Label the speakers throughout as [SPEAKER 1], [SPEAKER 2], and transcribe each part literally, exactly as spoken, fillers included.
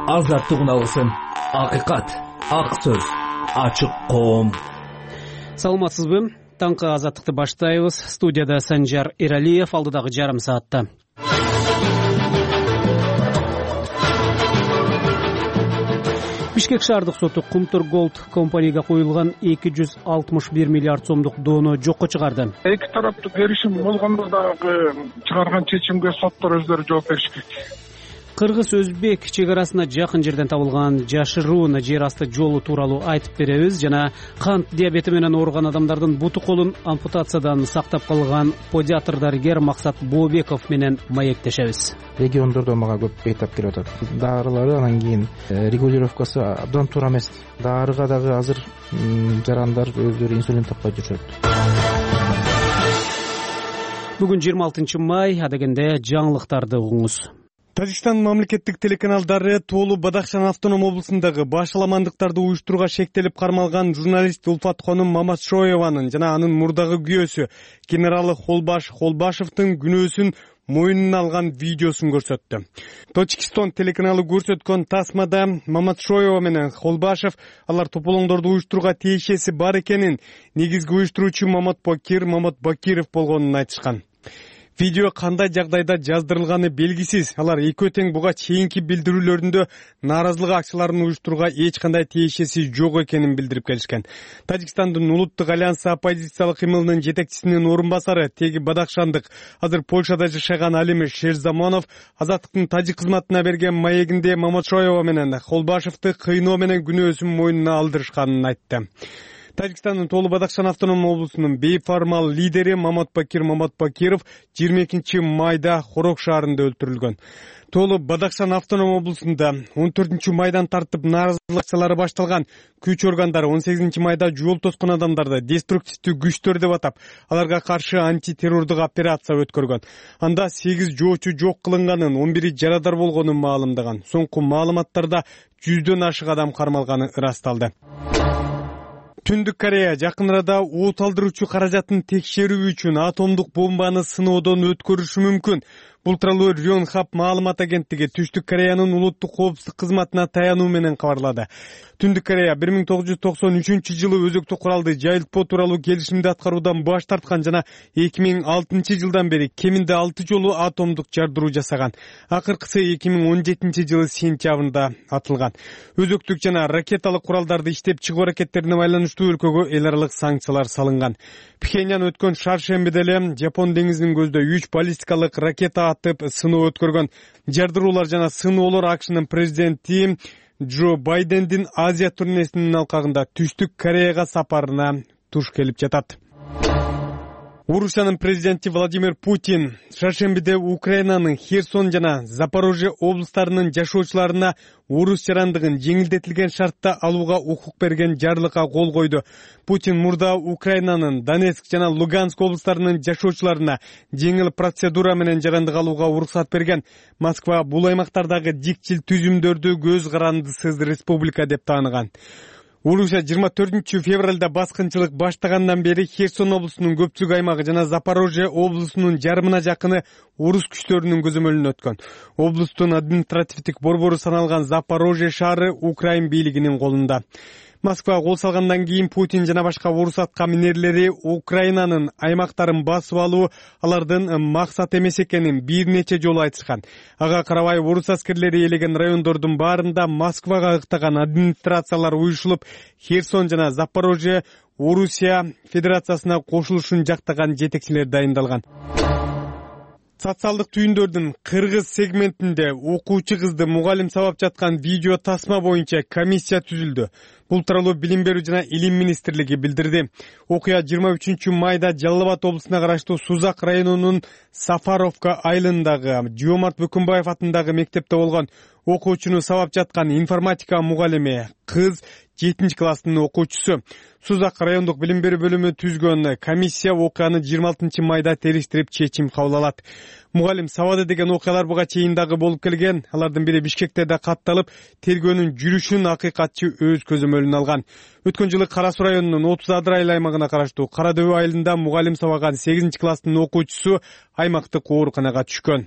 [SPEAKER 1] азаттык уналгысын, акыйкат, ак сөз, ачык коом.
[SPEAKER 2] Саламатсызбы? Таңкы азаттыкты баштайбыз. Студияда Санжар Эралиев, алдыдагы жарым саатта. Бишкек шаардык соту Кумтур Голд компанияга коюлган эки жүз алтымыш бир миллиард сомдук доону жокко чыгарды.
[SPEAKER 3] Эки тараптуу келишим болгондо дагы чыгарган чечимге соттор өздөрү жооп бериш керек.
[SPEAKER 2] Кыргыз-Өзбек чек арасына жакын жерден табылган жашыруун жер асты жолу тууралуу айтып беребиз жана кант диабети менен ооруган адамдардын буту колун ампутациядан сактап калган педиатр дарыгер Максат Бообеков менен маектешебиз.
[SPEAKER 4] Региондордо мага көп бейтап келип атат. Дарылары анан кийин регулировкасы абдан туура эмес. Дарыга дагы азыр жарандар өздөрү инсулин таппай жүрүшөт.
[SPEAKER 2] Бүгүн жыйырма алтынчы май, адегенде жаңылыктарды угуңуз.
[SPEAKER 5] Тажикстан мамлекеттик телеканалдары Тоолу Бадахшан автоном облусундагы башаламандыктарды уюштурууга шектелип кармалган журналист Улфат Хонум Маматшоеванын жана анын мурдагы күйөөсү генералы Холбаш Холбашевдин күнөөсүн мойнуна алган видеосун көрсөттү. Точкистон телеканалы көрсөткөн тасмада Маматшоева менен Холбашев алар тополоңдорду уюштурууга тиешеси бар экенин, негизги уюштуруучу Мамат Бакир Мамат Бакиров болгонун айтышкан. Видео кандай жагдайда жаздырылганы белгисиз. Алар экөө тең буга чейинки билдирүүлөрүндө нааразылык акчаларын уюштурууга эч кандай тиешеси жок экенин билдирип келишкен. Тажикстандын улуттук альянсы оппозициялык кыймылынын жетекчисинин орун басары теги Бадахшандык азыр Польшада жашаган Алим Шерзамонов азаттыктын тажик кызматына берген маегинде Маматшоева менен Холбашевди кыйноо менен күнөөсүн мойнуна алдырышканын айтты. Тажикстандын Тоолу Бадахшан автоном облусунун бейформал лидери Мамат Бакир Мамат Бакиров жыйырма экинчи майда Хорок шаарында өлтүрүлгөн. Тоолу Бадахшан автоном облусунда он төртүнчү майдан тартып нааразылык акциялары башталган. Күч органдары он сегизинчи майда жол тоскон адамдарды деструктивдүү күчтөр деп атап, аларга каршы антитеррордук операция өткөргөн. Анда сегиз жоочу жок кылынганын, он бири жарадар болгонун маалымдаган. Соңку маалыматтарда жүздөн ашык адам кармалганы ырасталды. Түндүк Корея жакын арада от алдыруучу каражатын текшерүү үчүн атомдук бомбаны сыноодон өткөрүшү мүмкүн. Бул тууралуу Рёнхап маалымат агенттиги Түштүк Кореянын улуттук коопсуздук кызматына таянуу менен кабарлады. Түндүк Корея бир миң тогуз жүз токсон үчүнчү жылы өзөктүк куралды жайылтпоо тууралуу келишимди аткаруудан баш тарткан жана эки миң алтынчы жылдан бери кеминде алты жолу атомдук жардыруу жасаган. Акыркысы эки миң он жетинчи жылы сентябрында атылган. Өзөктүк жана ракеталык куралдарды иштеп чыгуу аракеттерине байланыштуу өлкөгө эл аралык санкциялар салынган. Пхеньян өткөн шаршембиде эле Жапон деңизинин көздөй үч баллистикалык ракета атып сыноо өткөргөн. Жардыруулар жана сыноолор АКШнын президенти Джо Байдендин Азия турнесинин алкагында Түштүк Кореяга сапарына туш келип жатат. Орусиянын президенти Владимир Путин шаршембиде Украинанын Херсон жана Запорожье облустарынын жашоочуларына орус жарандыгын жеңилдетилген шартта алууга укук берген жарлыкка кол койду. Путин мурда Украинанын Донецк жана Луганск облустарынын жашоочуларына жеңил процедура менен жарандык алууга уруксат берген. Москва бул аймактардагы дикчил түзүмдөрдү көз карандысыз республика деп тааныган. Орусия жыйырма төртүнчү февралда баскынчылык баштагандан бери Херсон облусунун көпчүлүк аймагы жана Запорожье облусунун жарымына жакыны орус күчтөрүнүн көзөмөлүнө өткөн. Облустун административдик борбору саналган Запорожье шаары Украин бийлигинин колунда. Москва кол салгандан кийин Путин жана башка орус атка минерлери Украинанын аймактарын басып алуу алардын максат эмес экенин бир нече жолу айтышкан. Ага карабай орус аскерлери ээлеген райондордун баарында Москвага ыктаган администрациялар уюшулуп, Херсон жана Запорожье Орусия Федерациясына кошулушун жактаган жетекчилер дайындалган. Социалдык түйүндөрдүн кыргыз сегментинде окуучу кызды мугалим сабап жаткан видео тасма боюнча комиссия түзүлдү. Бул тууралуу Билим берүү жана Илим министрлиги билдирди. Окуя жыйырма үчүнчү майда Жалал Абад облусуна караштуу Сузак районунун Сафаровка айылындагы Жомарт Бөкөнбаев атындагы мектепте болгон. Окуучуну сабап жаткан информатика мугалими кыз жетинчи класстын окуучусу. Сузак райондук билим берүү бөлүмү түзгөн комиссия окуяны жыйырма алтынчы майда териштирип чечим кабыл алат. Мугалим сабады деген окуялар буга чейин дагы болуп келген. Алардын бири Бишкекте да катталып, тергөөнүн жүрүшүн акыйкатчы өз көзөмөлүнө алган. Өткөн жылы Кара Суу районунун отуз Адырайыл аймагына караштуу Кара Дөбө айылында мугалим сабаган сегизинчи класстын окуучусу аймактык ооруканага түшкөн.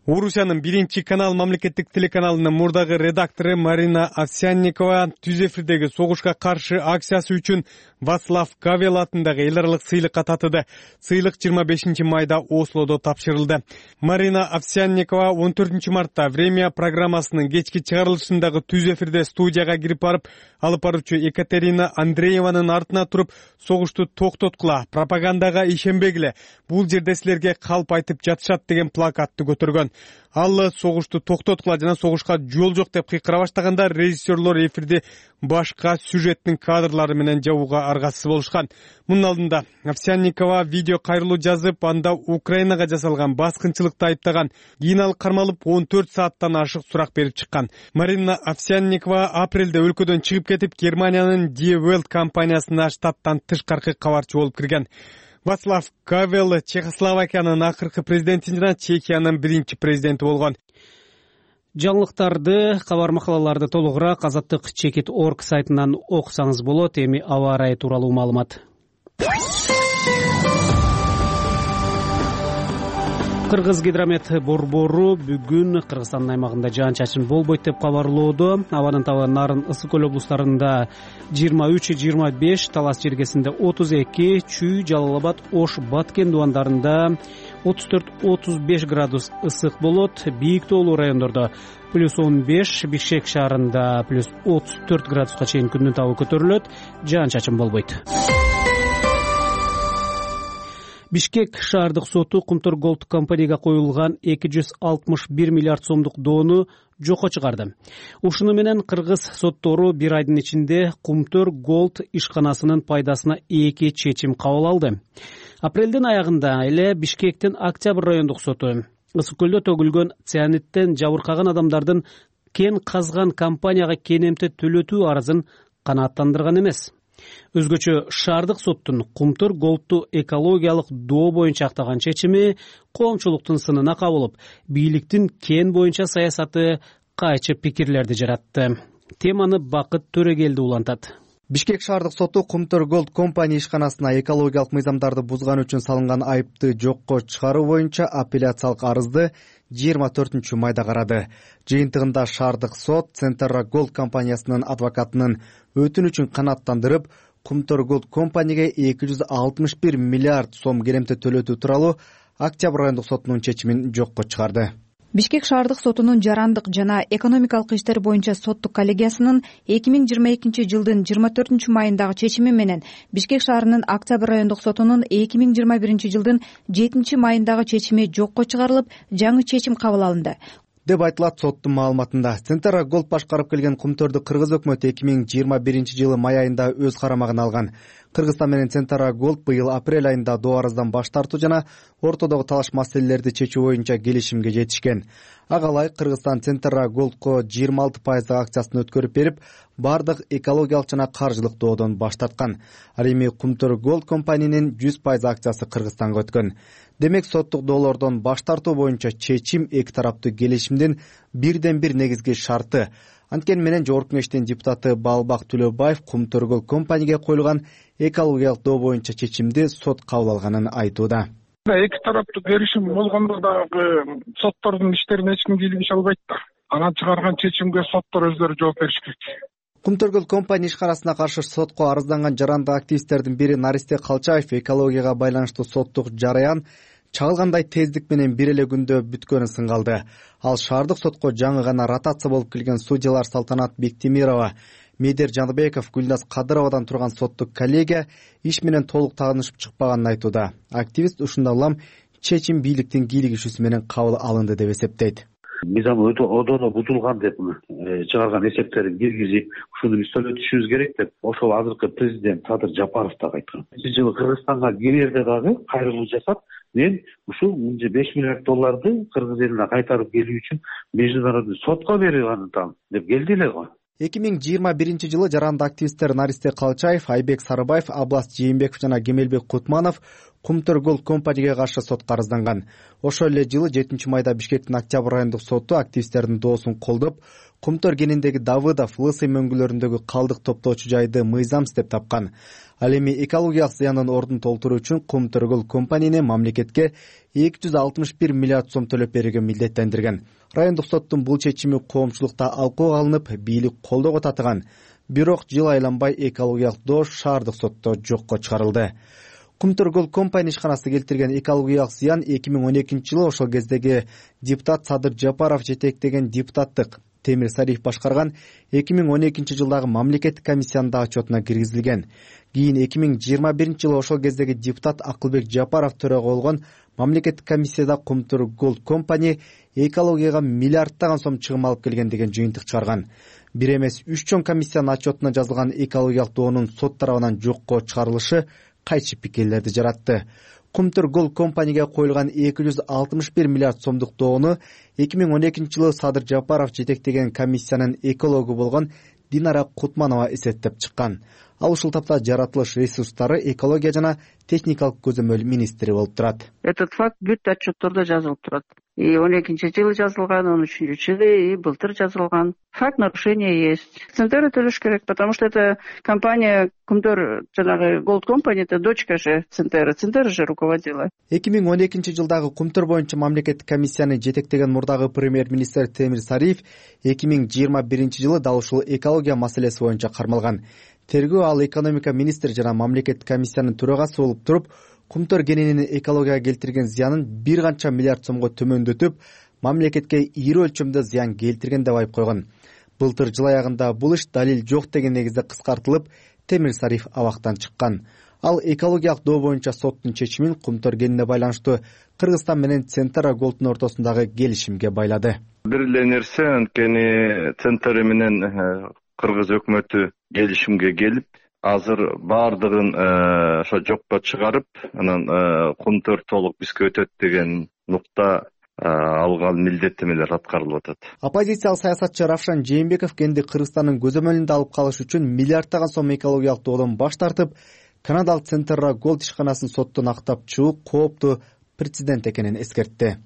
[SPEAKER 5] Орусиянын биринчи канал мамлекеттик телеканалынын мурдагы редактору Марина Овсянникова түз эфирдеги согушка каршы акциясы үчүн Вацлав Гавел атындагы эл аралык сыйлыкка татыды. Сыйлык жыйырма бешинчи майда Ослодо тапшырылды. Марина Овсянникова он төртүнчү мартта «Время» программасынын кечки чыгарылышындагы түз эфирде студияга кирип барып, алып баруучу Екатерина Андрееванын артына туруп, согушту токтоткула, пропагандага ишенбегиле, бул жерде силерге калп айтып жатышат деген плакатты көтөргөн. Ал согушту токтоткула жана согушка жол жок деп кыйкыра баштаганда режиссерлор эфирди башка сюжеттин кадрлары менен жабууга аргасыз болушкан. Мунун алдында Овсянникова видео кайрылуу жазып, анда Украинага жасалган баскынчылыкты айыптаган. Кийин ал кармалып он төрт сааттан ашык сурак берип чыккан. Марина Овсянникова апрелде өлкөдөн чыгып кетип, Германиянын Die Welt компаниясына штаттан тышкаркы кабарчы болуп кирген. Вацлав Гавел Чехословакиянын акыркы президенти жана Чехиянын биринчи президенти болгон.
[SPEAKER 2] Жаңылыктарды, кабар макалаларды толугураак азаттык чекит точка орг сайтынан окусаңыз болот. Эми аба ырайы тууралуу маалымат. Кыргыз гидромет борбору бүгүн Кыргызстандын аймагында жаан-чачын болбойт деп кабарлоодо. Абанын табы Нарын, Ысык көл облустарында жыйырма үч жыйырма беш, Талас жергесинде отуз эки, Чүй, Жалал Абад, Ош, Баткен дубандарында отуз төрт отуз беш градус ысык болот. Бийик тоолуу райондордо плюс он беш, Бишкек шаарында плюс отуз төрт градуска чейин күндүн табы көтөрүлөт. Жаан-чачын болбойт. Бишкек шаардык соту Кумтөр Голд компанияга коюлган эки жүз алтымыш бир миллиард сомдук доону жокко чыгарды. Ушуну менен кыргыз соттору бир айдын ичинде Кумтөр Голд ишканасынын пайдасына эки чечим кабыл алды. Апрелдин аягында эле Бишкектин Октябрь райондук соту Ысык көлдө төгүлгөн цианиттен жабыркаган адамдардын кен казган компанияга кенемте төлөтүү арызын канааттандырган эмес. Өзгөчө шаардык соттун Кумтөр Голдту экологиялык доо боюнча актаган чечими коомчулуктун сынына кабылып, бийликтин кен боюнча саясаты кайчы пикирлерди жаратты. Теманы Бакыт Төрөгелди улантат.
[SPEAKER 6] Бишкек шаардык соту Кумтөр Голд компания ишканасына экологиялык мыйзамдарды бузган үчүн салынган айыпты жокко чыгаруу боюнча апелляциялык арызды жыйырма төртүнчү майда карады. Жыйынтыгында шаардык сот Центерра Голд компаниясынын адвокатынын өтүнүчүн канааттандырып, Кумтөр Голд компанияга эки жүз алтымыш бир миллиард сом керемте төлөтүү тууралуу Октябрь райондук сотунун чечимин жокко чыгарды.
[SPEAKER 7] Бишкек шаардык сотунун жарандык жана экономикалык иштер боюнча соттук коллегиясынын эки миң жыйырма экинчи жылдын жыйырма төртүнчү майындагы чечими менен Бишкек шаарынын Октябрь райондук сотунун эки миң жыйырма биринчи жылдын жетинчи майындагы чечими жокко чыгарылып, жаңы чечим кабыл алынды
[SPEAKER 6] деп айтылат соттун маалыматында. Центерра Голд башкарып келген Кумтөрдү кыргыз өкмөтү эки миң жыйырма биринчи жылы май айында өз карамагына алган. Кыргызстан менен Центерра Голд быйыл апрель айында доо арыздан баш тартуу жана ортодогу талаш маселелерди чечүү боюнча келишимге жетишкен. Ага ылайык Кыргызстан Центерра Голдко жыйырма алты пайыздык акциясын өткөрүп берип, бардык экологиялык жана каржылык доодон баш тарткан. Ал эми Кумтөр Голд компаниянын жүз пайыз акциясы Кыргызстанга өткөн. Демек соттук доолордон баш тартуу боюнча чечим эки тараптуу келишимдин бирден бир негизги шарты. Анткени менен Жогорку Кеңештин депутаты Баалбак Төлөбаев Кумтөр Голд компанияга коюлган экологиялык доо боюнча чечимди сот кабыл алганын айтууда.
[SPEAKER 3] Эки тараптуу келишим болгондо дагы соттордун иштерине эч ким кийлигише албайт да. Анан чыгарган чечимге соттор өздөрү жооп бериши керек.
[SPEAKER 6] Кумтөр Голд компания ишканасына каршы сотко арызданган жарандык активисттердин бири Наристе Калчаев экологияга байланыштуу соттук жараян чагылгандай тездик менен бир эле күндө бүткөнүн сынгалды. Ал шаардык сотко жаңы гана ротация болуп келген судьялар Салтанат Бектемирова, Медер Жаныбеков, Гүлназ Кадыровадан турган соттук коллегия иш менен толук таанышып чыкпаганын айтууда. Активист ушундай улам чечим бийликтин кийлигишүүсү менен кабыл алынды деп эсептейт.
[SPEAKER 8] Мыйзам одоно бузулган деп чыгарган эсептерин киргизип, ушуну биз төлөтүшүбүз керек деп ошол азыркы президент Садыр Жапаров дагы айткан. Бир жылы Кыргызстанга кирерде дагы кайрылуу жасап, мен ушул беш миллиард долларды кыргыз элине кайтарып келүү үчүн международный сотко берип анытам деп келди эле го.
[SPEAKER 6] эки миң жыйырма биринчи жылы жарандык активисттер Наристе Калчаев, Айбек Сарыбаев, Аблас Жээнбеков жана Кемелбек Кутманов Кумтөр Голд компанияга каршы сотко арызданган. Ошол эле жылы жетинчи майда Бишкектин Октябрь райондук соту активисттердин доосун колдоп, Кумтөр кениндеги Давыдов, Лысый мөңгүлөрүндөгү калдык топтоочу жайды мыйзамсыз деп тапкан. Ал эми экологиялык зыяндын ордун толтуруу үчүн Кумтөр Голд компанияны мамлекетке эки жүз алтымыш бир миллиард сом төлөп берүүгө милдеттендирген. Райондук соттун бул чечими коомчулукта алкууга алынып, бийлик колдоого татыган. Бирок жыл айланбай экологиялык доо шаардык сотто жокко чыгарылды. Кумтөр Голд компания ишканасы келтирген экологиялык зыян эки миң он экинчи жылы ошол кездеги депутат Садыр Жапаров жетектеген депутаттык Темир Сариф башкарган эки миң он экинчи жылдагы мамлекеттик комиссиянын да отчетуна киргизилген. Кийин эки миң жыйырма биринчи жылы ошол кездеги депутат Акылбек Жапаров төрага болгон мамлекеттик комиссияда Кумтөр Голд компания экологияга миллиардтаган сом чыгым алып келген деген жыйынтык чыгарган. Бир эмес үч чоң комиссиянын отчетуна жазылган экологиялык доонун сот тарабынан жокко чыгарылышы кайчы пикирлерди жаратты. Кумтөр Голд компанияга коюлган эки жүз алтымыш бир миллиард сомдук доону эки миң он экинчи жылы Садыр Жапаров жетектеген комиссиянын экологу болгон Динара Кутманова эсептеп чыккан. Ал ушул тапта жаратылыш ресурстары, экология жана техникалык көзөмөл министри болуп турат.
[SPEAKER 9] Этот факт бүт отчеттордо жазылып турат. И он экинчи жылы жазылган, он үчүнчү жылы, и былтыр жазылган. Факт нарушения есть. Центр төлөш керек, потому что это компания Кумтөр жанагы Голд компания, это дочка же Центр. Центр же руководила.
[SPEAKER 6] эки миң он экинчи жылдагы Кумтөр боюнча мамлекеттик комиссияны жетектеген мурдагы премьер-министр Темир Сариф эки миң жыйырма биринчи жылы дал ушул экология маселеси боюнча кармалган. Тергөө ал экономика министри жана мамлекеттик комиссиянын төрагасы болуп туруп, Кумтөр кенинин экологияга келтирген зыянын бир канча миллиард сомго төмөндөтүп, мамлекетке ири өлчөмдө зыян келтирген деп айып койгон. Былтыр жыл аягында бул иш далил жок деген негизде кыскартылып, Темир Сариф абактан чыккан. Ал экологиялык доо боюнча соттун чечимин Кумтөр кенине байланыштуу Кыргызстан менен Центр Голдтун ортосундагы келишимге байлады.
[SPEAKER 10] Бир эле нерсе, анткени Центр менен Кыргыз өкмөтү келишимге келип, азыр баардыгын ошо жокко чыгарып, анан Кумтөр толук бизге өтөт деген нукта алган милдеттемелер аткарылып атат.
[SPEAKER 6] Оппозициялык саясатчы Равшан Жээнбеков кенди Кыргызстандын көзөмөлүндө алып калыш үчүн миллиардтаган сом экологиялык доодон баш тартып, Канадалык Центр Голд ишканасын соттон актап чыгуу кооптуу прецедент экенин эскертти.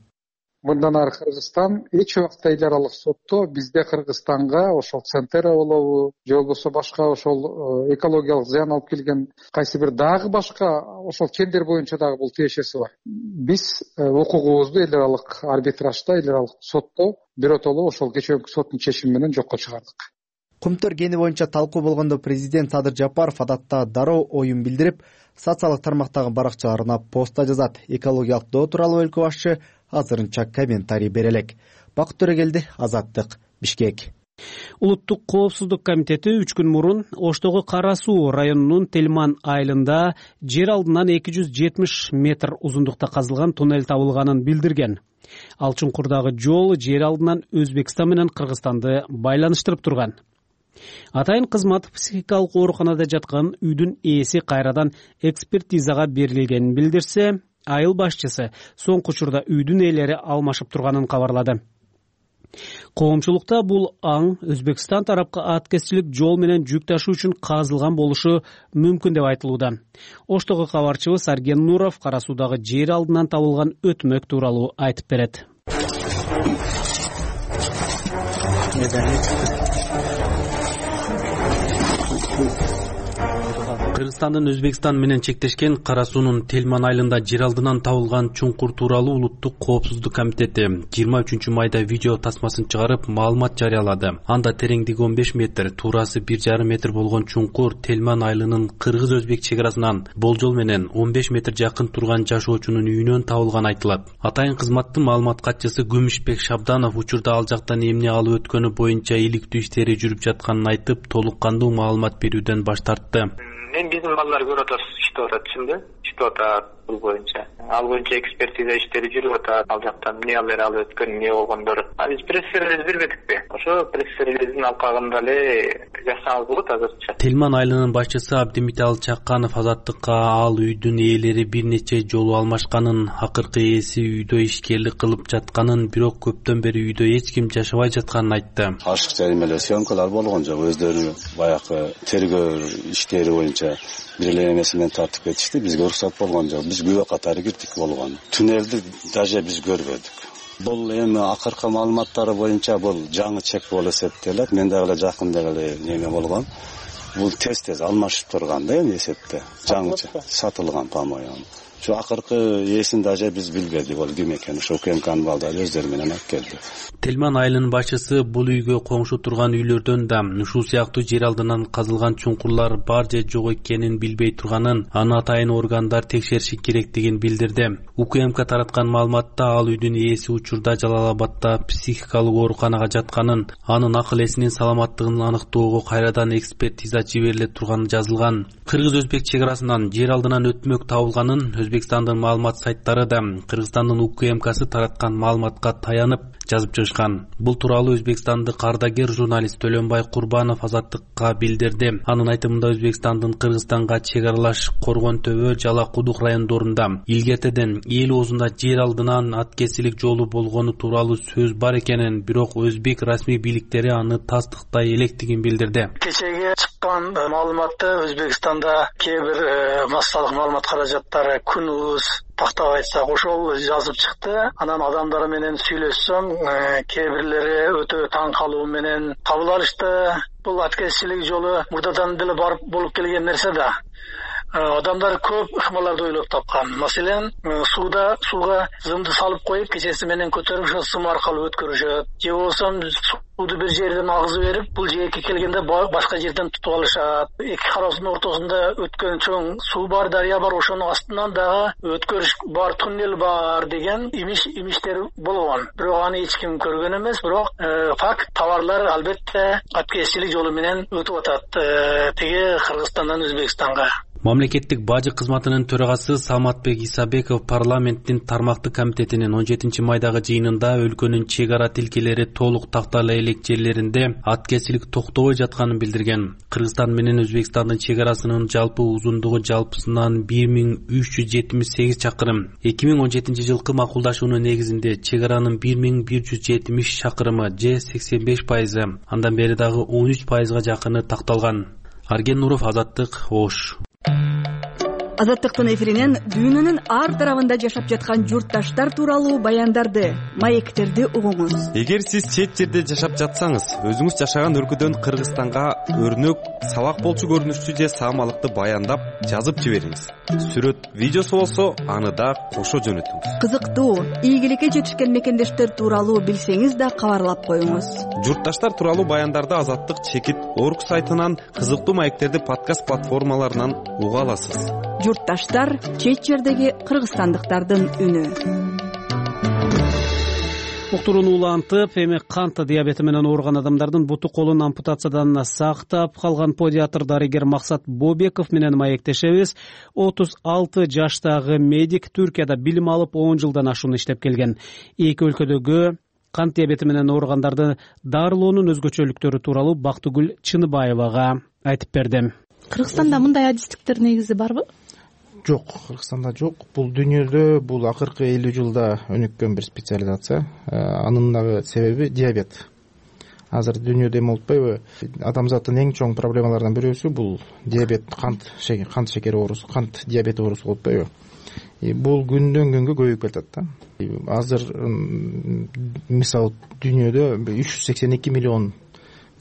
[SPEAKER 3] Мындан ары Кыргызстан эч убакта эл аралык сотто бизде Кыргызстанга ошол Центр болобу, же болбосо башка ошол экологиялык зыян алып келген кайсы бир дагы башка ошол чендер боюнча дагы бул тиешеси бар. Биз укугубузду эл аралык арбитражда, эл аралык сотто биротоло ошол кечээки соттун чечими менен жокко чыгардык.
[SPEAKER 6] Кумтөр кени боюнча талкуу болгондо президент Садыр Жапаров адатта дароо оюн билдирип, социалдык тармактагы баракчаларына поста жазат. Экологиялык доо тууралуу өлкө башчы азырынча комментарий бере элек. Бакыт Төрөгелди, Азаттык, Бишкек.
[SPEAKER 2] Улуттук коопсуздук комитети үч күн мурун Оштогу Кара Суу районунун Телман айылында жер алдынан эки жүз жетимиш метр узундукта казылган туннель табылганын билдирген. Ал чуңкурдагы жол жер алдынан Өзбекстан менен Кыргызстанды байланыштырып турган. Атайын кызмат психикалык ооруканада жаткан үйдүн ээси кайрадан экспертизага берилгенин билдирсе, айыл башчысы соңку учурда үйдүн ээлери алмашып турганын кабарлады. Коомчулукта бул аң Өзбекстан тарапка аткезчилик жол менен жүк ташуу үчүн казылган болушу мүмкүн деп айтылууда. Оштогу кабарчыбыз Арген Нуров Кара Суудагы жер алдынан табылган өтмөк тууралуу айтып берет. Кыргызстандын Өзбекстан менен чектешкен Кара Суунун Телман айылында жер алдынан табылган чуңкур тууралуу Улуттук коопсуздук комитети жыйырма үчүнчү майда видео тасмасын чыгарып маалымат жарыялады. Анда тереңдиги он беш метр, туурасы бир жарым метр болгон чуңкур Телман айылынын кыргыз-өзбек чек арасынан болжол менен он беш метр жакын турган жашоочунун үйүнөн табылган айтылат. Атайын кызматтын маалымат катчысы Күмүшбек Шабданов учурда ал жактан эмне алып өткөнү боюнча иликтүү иштери жүрүп жатканын айтып, толук кандуу маалымат берүүдөн баш тартты.
[SPEAKER 11] Мен биздин балдар көрүп атат, иштеп атат чынды, иштеп атат бул боюнча. Ал боюнча экспертиза иштери жүрүп атат. Ал жактан эмне алып алып өткөн, эмне болгондор. А биз пресс-релиз бербедикпи? Ошо пресс-релиздин алкагында эле жазсаңыз болот азырча.
[SPEAKER 2] Телман айылынын башчысы Абдимитал Чакканов Азаттыкка ал үйдүн ээлери бир нече жолу алмашканын, акыркы ээси үйдө ишкерлик кылып жатканын, бирок көптөн бери үйдө эч ким жашабай жатканын айтты.
[SPEAKER 12] Ашыкча эмелер, съемкалар болгон жок, өздөрү баягы тергөө иштери боюнча бир эле эмеси менен тартып кетишти. Бизге уруксат болгон жок. Биз күбө катары кирдик болгон. Туннелди даже биз көрбөдүк. Бул эми акыркы маалыматтары боюнча бул жаңы чек болуп эсептелет. Мен дагы эле жакында эле неме болгон. Бул тез-тез алмашып турган да эми эсепте. Жаңы сатылган, по-моему. Şu акыркы ээсин даже биз билбедик, ол ким экенин. Ошо УКМКнын балдары өздөрү менен алып келди.
[SPEAKER 13] Телман айылынын башчысы бул үйгө коңшу турган үйлөрдөн да ушул сыяктуу жер алдынан казылган чуңкурлар бар же жок экенин билбей турганын, аны атайын органдар текшериши керектигин билдирди. УКМК тараткан маалыматта ал үйдүн ээси учурда Жалал Абадда психикалык ооруканага жатканын, анын акыл эсинин саламаттыгын аныктоого кайрадан экспертиза жибериле турганы жазылган. Кыргыз-Өзбек чек арасынан жер алдынан өтмөк табылганын Өзбекстандын маалымат сайттары да Кыргызстандын УКМКсы тараткан маалыматка таянып жазып чыгышкан. Бул тууралуу Өзбекстандык ардагер журналист Төлөнбай Курбанов Азаттыкка билдирди. Анын айтымында Өзбекстандын Кыргызстанга чек аралаш Коргон Төбө, Жала Кудук райондорунда илгертеден эл оозунда жер алдынан аткесилик жолу болгону тууралуу сөз бар экенин, бирок өзбек расмий бийликтери аны тастыктай электигин билдирди.
[SPEAKER 14] Кечеге чыккан маалыматты Өзбекстанда кээ бир массалык маалымат каражаттары күнүбүз тактап айтсак ошол жазып чыкты. Анан адамдар менен сүйлөшсөм, кээ бирлери өтө таң калуу менен кабыл алышты. Бул аткезчилик жолу мурдадан деле барып болуп келген нерсе да. Адамдар көп ыкмаларды ойлоп тапкан. Маселен, сууда сууга зымды салып коюп, кечеси менен көтөрүп, ошо сым аркылуу өткөрүшөт. Же болсо сууду бир жерден агызып берип, бул жерге келгенде башка жерден тутуп алышат. Эки кароосунун ортосунда өткөн чоң суу бар, дарыя бар, ошонун астынан дагы өткөрүш бар, туннел бар деген имиш имиштер болгон. Бирок аны эч ким көргөн эмес, бирок факт товарлар албетте аткезчилик жолу менен өтүп атат. Теге Кыргызстандан Өзбекстанга.
[SPEAKER 13] Мамлекеттик бажы кызматынын төрагасы Салматбек Исабеков парламенттин тармактык комитетинин он жетинчи майдагы жыйынында өлкөнүн чек ара тилкелери толук тактала элек жерлеринде аткезчилик токтобой жатканын билдирген. Кыргызстан менен Өзбекстандын чек арасынын жалпы узундугу жалпысынан бир миң үч жүз жетимиш сегиз чакырым. эки миң он жетинчи жылкы макулдашуунун негизинде чек аранын бир миң бир жүз жетимиш чакырымы же сексен беш пайызы, андан бери дагы он үч пайызга жакыны такталган. Арген Нуров, Азаттык, Ош.
[SPEAKER 15] Азаттыктын эфиринен дүйнөнүн ар тарабында жашап жаткан журтташтар тууралуу баяндарды, маектерди угуңуз.
[SPEAKER 5] Эгер сиз чет жерде жашап жатсаңыз, өзүңүз жашаган өлкөдөн Кыргызстанга өрнөк, сабак болчу көрүнүштүү же саамалыкты баяндап жазып жибериңиз. Сүрөт, видеосу болсо, аны да кошо жөнөтүңүз.
[SPEAKER 15] Кызыктуу, ийгиликке жетишкен мекендештер тууралуу билсеңиз да кабарлап коюңуз.
[SPEAKER 5] Журтташтар тууралуу баяндарды Азаттык чекит орг сайтынан, кызыктуу маектерди подкаст платформаларынан уга аласыз.
[SPEAKER 15] Журтташтар чет жердеги кыргызстандыктардын үнү.
[SPEAKER 2] Уктурууну улантып, эми кант диабети менен ооруган адамдардын буту колун ампутациядан сактап калган педиатр дарыгер Максат Бобеков менен маектешебиз. отуз алты жаштагы медик Түркияда билим алып он жылдан ашуун иштеп келген. Эки өлкөдөгү кант диабети менен ооругандарды дарылоонун өзгөчөлүктөрү тууралуу Бактыгүл Чыныбаевага айтып берди.
[SPEAKER 16] Кыргызстанда мындай адистиктер негизи барбы?
[SPEAKER 4] Жок, Кыргызстанда жок. Бул дүйнөдө бул акыркы элүү жылда өнүккөн бир специализация. Анын дагы себеби диабет. Азыр дүйнөдө эме болуппайбы? Адамзаттын эң чоң проблемаларынан бирөөсү бул диабет, кант шекер, кант шекери оорусу, кант диабети оорусу болуп атпайбы? Бул күндөн күнгө көбөйүп келатат да. Азыр мисалы дүйнөдө үч жүз сексен эки миллион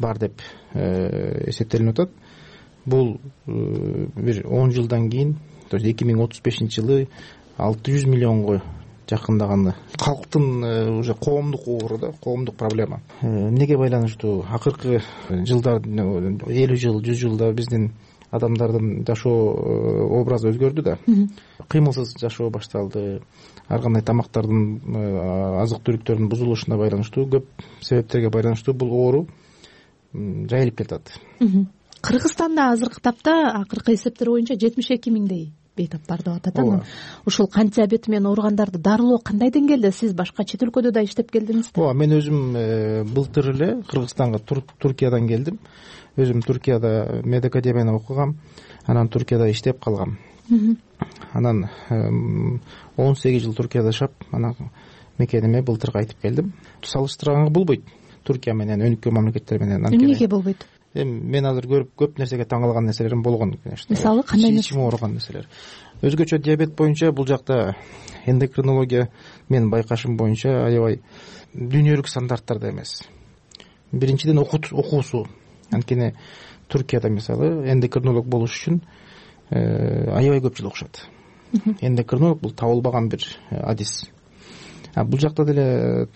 [SPEAKER 4] бар деп эсептелип атат. Бул бир он жылдан кийин, то есть эки миң отуз бешинчи жылы алты жүз миллионго жакындаганы. Калктын уже коомдук оору да, коомдук проблема. Эмнеге байланыштуу? Акыркы жылдар, элүү жыл, жүз жылда биздин адамдардын жашоо образы өзгөрдү да. Кыймылсыз жашоо башталды. Ар кандай тамактардын, азык түлүктөрдүн бузулушуна байланыштуу, көп себептерге байланыштуу бул оору жайылып кетет.
[SPEAKER 16] Кыргызстанда азыркы тапта акыркы эсептер боюнча жетимиш эки миңдей бейтап бар деп атат. Анан ушул кант диабети менен ооругандарды дарылоо кандай деңгээлде? Сиз башка чет өлкөдө да иштеп келдиңиз да? Ооба, мен өзүм былтыр эле Кыргызстанга Туркиядан келдим. Өзүм Туркияда медакадемияны окугам. Анан Туркияда иштеп калгам. Анан он сегиз жыл Туркияда жашап, анан мекениме былтыр кайтып келдим. Салыштырганга болбойт Туркия менен өнүккөн мамлекеттер менен. Эмнеге болбойт?
[SPEAKER 4] эми мен азыр көрүп көп нерсеге таң калган нерселерим болгон, конечно.
[SPEAKER 16] Мисалы кандай нерсе?
[SPEAKER 4] Ичим ооруган нерселер. Өзгөчө диабет боюнча бул жакта эндокринология менин байкашым боюнча аябай дүйнөлүк стандарттарда эмес. Биринчиден окуусу. Анткени Туркияда мисалы эндокринолог болуш үчүн аябай көп жыл окушат. Эндокринолог бул табылбаган бир адис. А бул жакта деле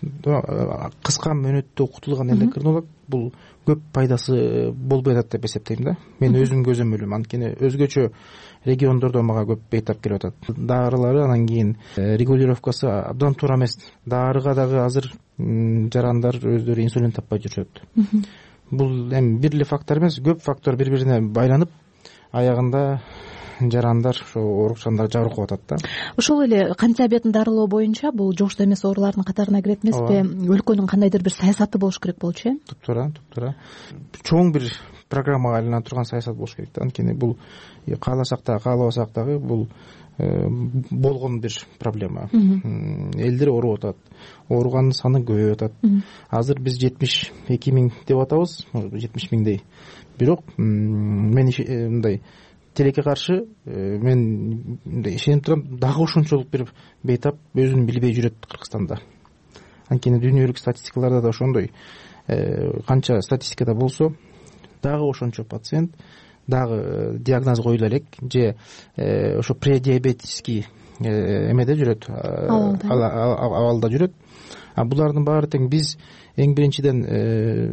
[SPEAKER 4] кыска мөөнөттө окутулган эндокринолог бул көп пайдасы болбой атат деп эсептейм да. Мен өзүм көзөмөлүм. Анткени өзгөчө региондордо мага көп бейтап келип атат. Дарылары анан кийин регулировкасы абдан туура эмес. Дарыга дагы азыр жарандар өздөрү инсулин таппай жүрүшөт. Бул эми бир эле фактор эмес, көп фактор бири бирине байланып, аягында жарандар ошо оорукчандар жабыркап атат да.
[SPEAKER 16] Ошол эле кант диабетин дарылоо боюнча бул жугуштуу эмес оорулардын катарына кирет эмеспи? Өлкөнүн кандайдыр бир саясаты болуш керек болчу, э?
[SPEAKER 4] Туптуура, туптуура. Чоң бир программага айлана турган саясат болуш керек да. Анткени бул кааласак да, каалабасак дагы бул болгон бир проблема. Элдер ооруп атат. Ооругандын саны көбөйүп атат. Азыр биз жетимиш эки миң деп атабыз, жетимиш миңдей. Бирок мен мындай тилекке каршы мен ишенип турам, дагы ошончолук бир бейтап өзүн билбей жүрөт Кыргызстанда. Анткени дүйнөлүк статистикаларда да ошондой. Канча статистикада болсо дагы ошончо пациент дагы диагноз коюла элек же ошо предиабетический эмеде жүрөт, абалда жүрөт. А булардын баары тең биз эң биринчиден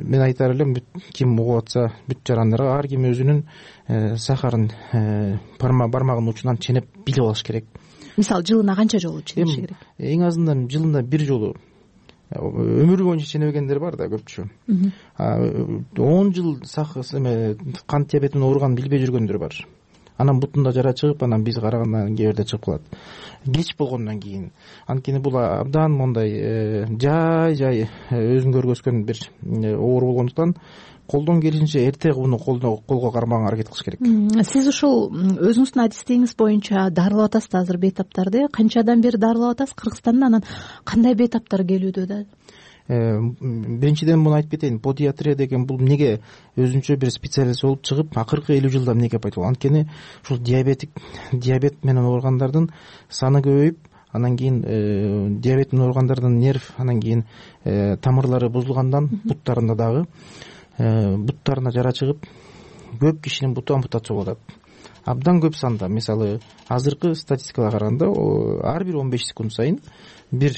[SPEAKER 4] мен айтар элем, ким угуп атса бүт жарандарга ар ким өзүнүн сахарын бармагынын учунан ченеп билип алыш керек.
[SPEAKER 16] Мисалы жылына канча жолу ченеши керек?
[SPEAKER 4] Эң азынан жылына бир жолу. Өмүрү боюнча ченебегендер бар да көпчү. он жыл кант диабети менен ооруганын билбей жүргөндөр бар. Анан бутунда жара чыгып, анан биз карагандан кээ бирде чыгып калат. Кеч болгондон кийин. Анткени бул абдан мондай жай жай өзүн көргөзгөн бир оору болгондуктан колдон келишинче эрте буну колго кармаганга аракет кылыш керек.
[SPEAKER 16] Сиз ушул өзүңүздүн адистигиңиз боюнча дарылап атасыз да азыр бейтаптарды. Канчадан бери дарылап атасыз Кыргызстанда? Анан кандай бейтаптар келүүдө да?
[SPEAKER 4] Биринчиден муну айтып кетейин. Педиатрия деген бул эмнеге өзүнчө бир специалист болуп чыгып, акыркы элүү жылда эмнеге пайда болгон? Анткени ушул диабетик диабет менен ооругандардын саны көбөйүп, анан кийин диабет менен ооругандардын нерв, анан кийин тамырлары бузулгандан буттарында дагы буттарына жара чыгып, көп кишинин буту ампутация болуп атат. Абдан көп санда, мисалы, азыркы статистикага караганда, ар бир он беш секунд сайын бир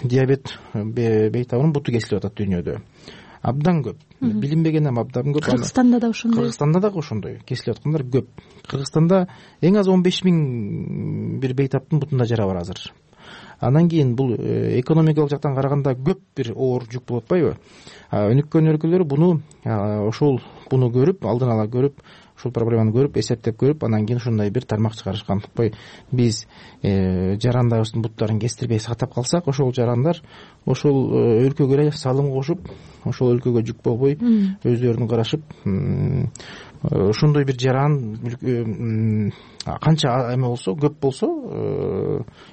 [SPEAKER 4] диабет бейтабынын буту кесилип атат дүйнөдө. Абдан көп. Билинбеген эми абдан көп.
[SPEAKER 16] Кыргызстанда да ошондой.
[SPEAKER 4] Кыргызстанда дагы ошондой кесилип аткандар көп. Кыргызстанда эң аз он беш миң бир бейтаптын бутунда жара бар азыр. Анан кийин бул экономикалык жактан караганда көп бир оор жүк болуп атпайбы? Өнүккөн өлкөлөр буну ошол буну көрүп, алдын ала көрүп, ушул проблеманы көрүп, эсептеп көрүп, анан кийин ушундай бир тармак чыгарышкан. Биз жарандарыбыздын буттарын кестирбей сактап калсак, ошол жарандар ошол өлкөгө эле салым кошуп, ошол өлкөгө жүк болбой, өздөрүн карашып, ошондой бир жаран канча эме болсо, көп болсо,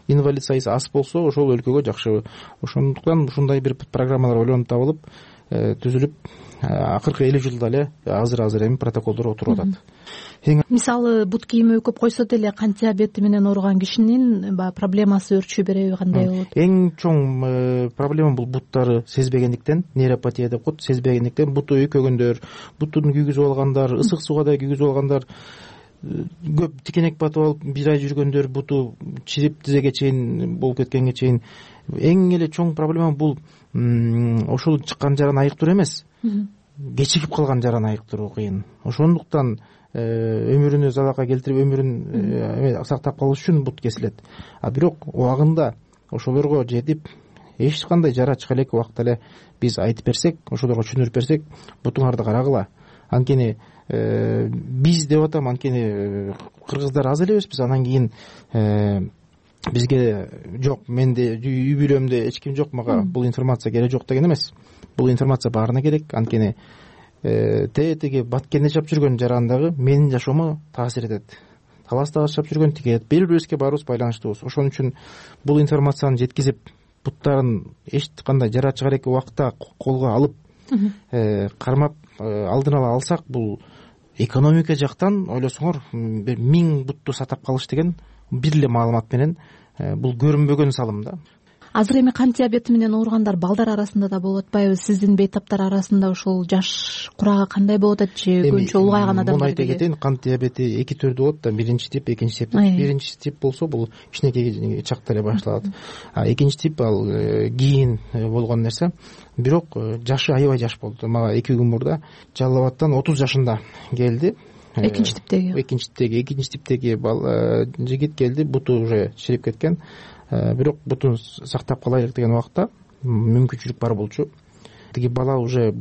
[SPEAKER 4] инвалид сайысы аз болсо, ошол өлкөгө жакшы. Ошондуктан ушундай бир программалар ойлонуп табылып, түзүлүп, акыркы элүү жылда эле азыр-азыр эми протоколдор отуруп атат.
[SPEAKER 16] Мисалы, бут кийими өкүп койсо деле кант диабети менен ооруган кишинин проблемасы өрчү береби, кандай болот? Эң
[SPEAKER 4] чоң проблема бул буттары сезбегендиктен, нейропатия деп коет, сезбегендиктен буту өйкөгөндөр, бутун күйгүзүп алгандар, ысык сууга да күйгүзүп алгандар, көп тикенек батып алып бир ай жүргөндөр, буту чирип тизеге чейин болуп кеткенге чейин. Эң эле чоң проблема бул ошол чыккан жараны айыктыруу эмес, кечигип калган жараны айыктыруу кыйын. Ошондуктан өмүрүнө залалга келтирип, өмүрүн сактап калыш үчүн бут кесилет. А бирок убагында ошолорго жетип, эч кандай жара чыга элек убакта эле биз айтып берсек, ошолорго түшүндүрүп берсек, бутуңарды карагыла. Анткени биз деп атам, анткени кыргыздар аз элебизбиз. Анан кийин бизге жок, менде үй бүлөмдө эч ким жок, мага бул информация керек жок деген эмес. Бул информация баарына керек. Анткени тетиги Баткенде жашап жүргөн жаран дагы менин жашоомо таасир этет. Таласта жашап жүргөн тиги бири бирибизге баарыбыз байланыштуубуз. Ошон үчүн бул информацияны жеткизип, буттарын эч кандай жара чыга элек убакта колго алып, кармап алдын ала алсак, бул экономика жактан ойлосоңор бир миң бутту сатап калыш деген бир эле маалымат менен бул көрүнбөгөн салым да.
[SPEAKER 16] Азыр эми кант диабети менен ооругандар балдар арасында да болуп атпайбы? Сиздин бейтаптар арасында ушул жаш курагы кандай болуп атат же көбүнчө улгайган адамдар?
[SPEAKER 4] Муну айта кетейин, кант диабети эки түрдүү болот да. Биринчи тип, экинчи тип. Биринчи тип болсо бул кичинекей чакта эле башталат. А экинчи тип ал кийин болгон нерсе. Бирок жашы аябай жаш болду. Мага эки күн мурда Жалал Абадтан отуз жашында келди.
[SPEAKER 16] Экинчи типтеги.
[SPEAKER 4] Экинчи типтеги, экинчи типтеги жигит келди, буту уже чирип кеткен. Бирок бутун сактап калайлык деген убакта мүмкүнчүлүк бар болчу. Тиги бала уже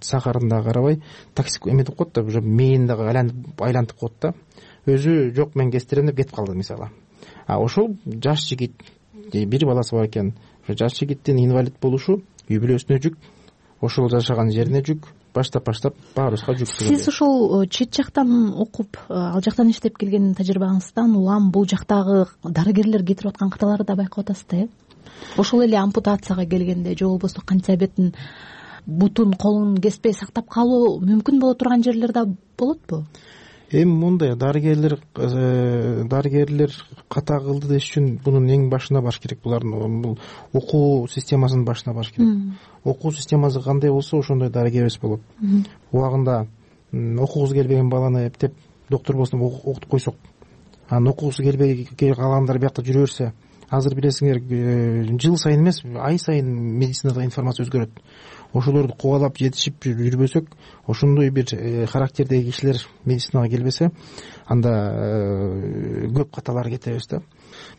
[SPEAKER 4] сахарында карабай токсик эметип коет да, уже мээни дагы айлантып коет да. Өзү жок, мен кестирем деп кетип калды мисалы. А ошол жаш жигит, бир баласы бар экен. Жаш жигиттин инвалид болушу үй бүлөсүнө жүк, ошол жашаган жерине жүк, баштап баштап баарыбызга жүк.
[SPEAKER 16] Сиз ушул чет жактан окуп, ал жактан иштеп келген тажрыйбаңыздан улам бул жактагы дарыгерлер кетирип аткан каталарды да байкап атасыз да, э? Ошол эле ампутацияга келгенде же болбосо кант диабетин бутун, колун кеспей сактап калуу мүмкүн боло турган жерлер да болотпу?
[SPEAKER 4] Эми мындай, дарыгерлер дарыгерлер ката кылды деш үчүн бунун эң башына барыш керек. Булардын бул окуу системасынын башына барыш керек. Окуу системасы кандай болсо, ошондой дарыгерибиз болот. Убагында окугусу келбеген баланы эптеп доктор болсун деп окутуп койсок, анан окугусу келбей калгандар биякта жүрө берсе, азыр билесиңер, жыл сайын эмес, ай сайын медицинада информация өзгөрөт. Ошолорду кубалап жетишип жүрбөсөк, ошондой бир характердеги кишилер медицинага келбесе, анда көп каталар кетебиз да.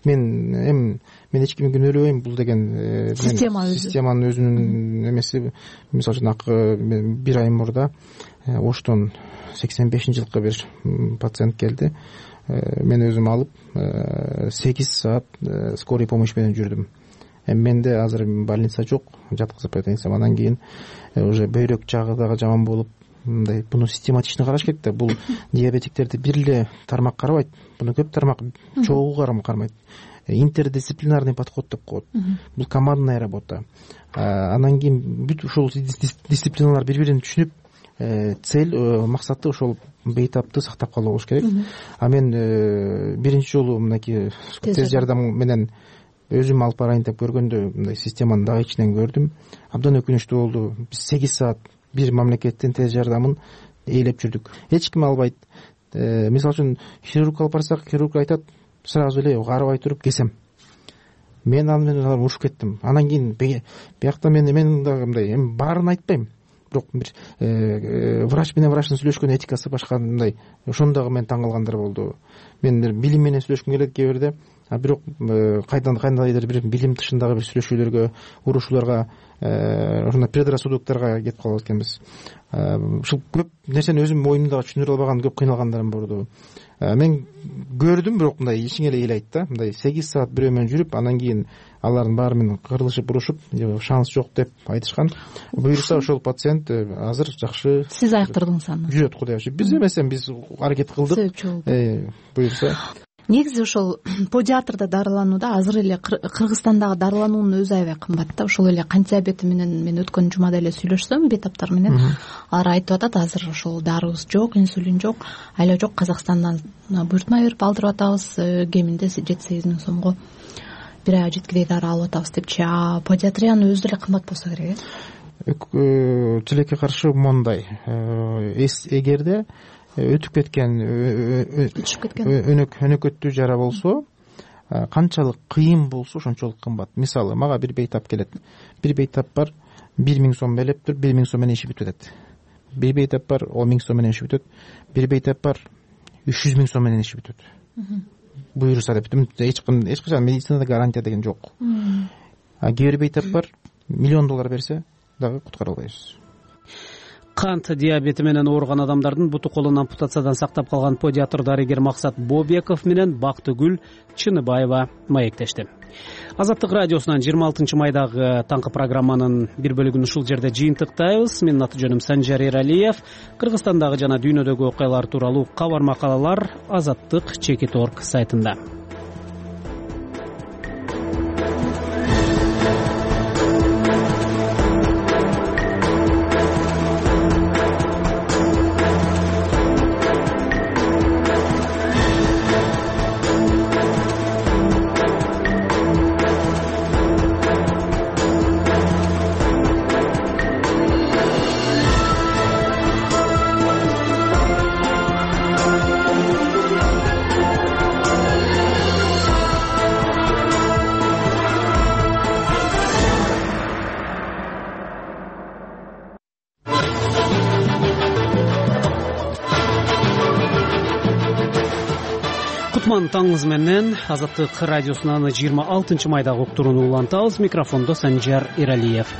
[SPEAKER 4] Мен эми мен эч кимге күнөөлөбөйм, бул деген системанын өзүнүн эмеси. Мисалы үчүн бир ай мурда Оштон сексен бешинчи жылкы бир пациент келди. Мен өзүм алып сегиз саат скорый помощь менен жүрдүм. Эми менде азыр больница жок, жаткызып айтайынсам, анан кийин уже бөйрөк жагы дагы жаман болуп, мындай буну систематично караш керек да. Бул диабетиктерди бир эле тармак карабайт, буну көп тармак чогуу кармайт. Интердисциплинарный подход деп коет. Бул командная работа. Анан кийин бүт ушул дисциплиналар бири-бирин түшүнүп, цель, максаты ошол бейтапты сактап калуу болуш керек. А мен биринчи жолу мынакей тез жардам менен өзүм алып барайын деп көргөндө, мындай системаны дагы ичинен көрдүм. Абдан өкүнүчтүү болду. Биз сегиз саат бир мамлекеттин тез жардамын ээлеп жүрдүк. Эч ким албайт. Мисалы үчүн хирург алып барсак, хирург айтат, сразу эле карабай туруп кесем. Мен аны менен урушуп кеттим. Анан кийин биякта мен мен дагы мындай, эми баарын айтпайм. Бирок бир врач менен врачтын сүйлөшкөн этикасы башка мындай. Ошондо дагы мен таң калгандар болду. Мен билим менен сүйлөшкүм келет кээ бирде. А бирок кайдан кандайдыр бир билим тышындагы бир сүйлөшүүлөргө, урушууларга, ошондой предрассудокторго кетип калат экенбиз. Ушул көп нерсени өзүм оюмда түшүнүрө албаган, көп кыйналгандарым болду. Мен көрдүм, бирок мындай ичиңе эле ыйлайт да. Мындай сегиз саат бирөө менен жүрүп, анан кийин алардын баары менен кырылышып, урушуп, шанс жок деп айтышкан. Буюрса ошол пациент азыр жакшы.
[SPEAKER 16] Сиз аяктырдыңыз аны.
[SPEAKER 4] Жүрөт, Кудай ачып. Биз эмес, биз аракет кылдык. Буюрса.
[SPEAKER 16] Негизи ошол педиатрда дарыланууда азыр эле Кыргызстандагы дарылануунун өзү аябай кымбат да. Ошол эле кант диабети менен мен өткөн жумада эле сүйлөшсөм бейтаптар менен, алар айтып атат, азыр ошол дарыбыз жок, инсулин жок, айла жок, Казакстандан буйртма берип алдырып атабыз, кеминде жети сегиз миң сомго бир айга жеткидей дары алып атабыз депчи. А педиатриянын өзү деле кымбат болсо керек,
[SPEAKER 4] э? Тилекке каршы мондай, эгерде өтүп кеткен, өтүшүп кеткен өнөк өнөкөттүү жара болсо, канчалык кыйын болсо ошончолук кымбат. Мисалы, мага бир бейтап келет. Бир бейтап бар, бир миң сом белеп тур, бир миң сом менен иши бүтүп атат. Бир бейтап бар, он миң сом менен иши бүтөт. Бир бейтап бар, үч жүз миң сом менен иши бүтөт. Буюрса деп, эч ким эч качан медицинада гарантия деген жок. А кээ бир бейтап бар, миллион доллар берсе дагы куткара албайбыз.
[SPEAKER 2] Кант диабети менен ооруган адамдардын буту колун ампутациядан сактап калган педиатр дарыгер Максат Бобеков менен Бактыгүл Чыныбаева маектешти. Азаттык радиосунан жыйырма алтынчы майдагы таңкы программанын бир бөлүгүн ушул жерде жыйынтыктайбыз. Менин аты жөнүм Санжар Эралиев. Кыргызстандагы жана дүйнөдөгү окуялар тууралуу кабар макалалар азаттык чекит точка орг сайтында. кутман таңыңыз менен Азаттык радиосунан жыйырма алтынчы майдагы уктурууну улантабыз. Микрофондо Санжар Эралиев.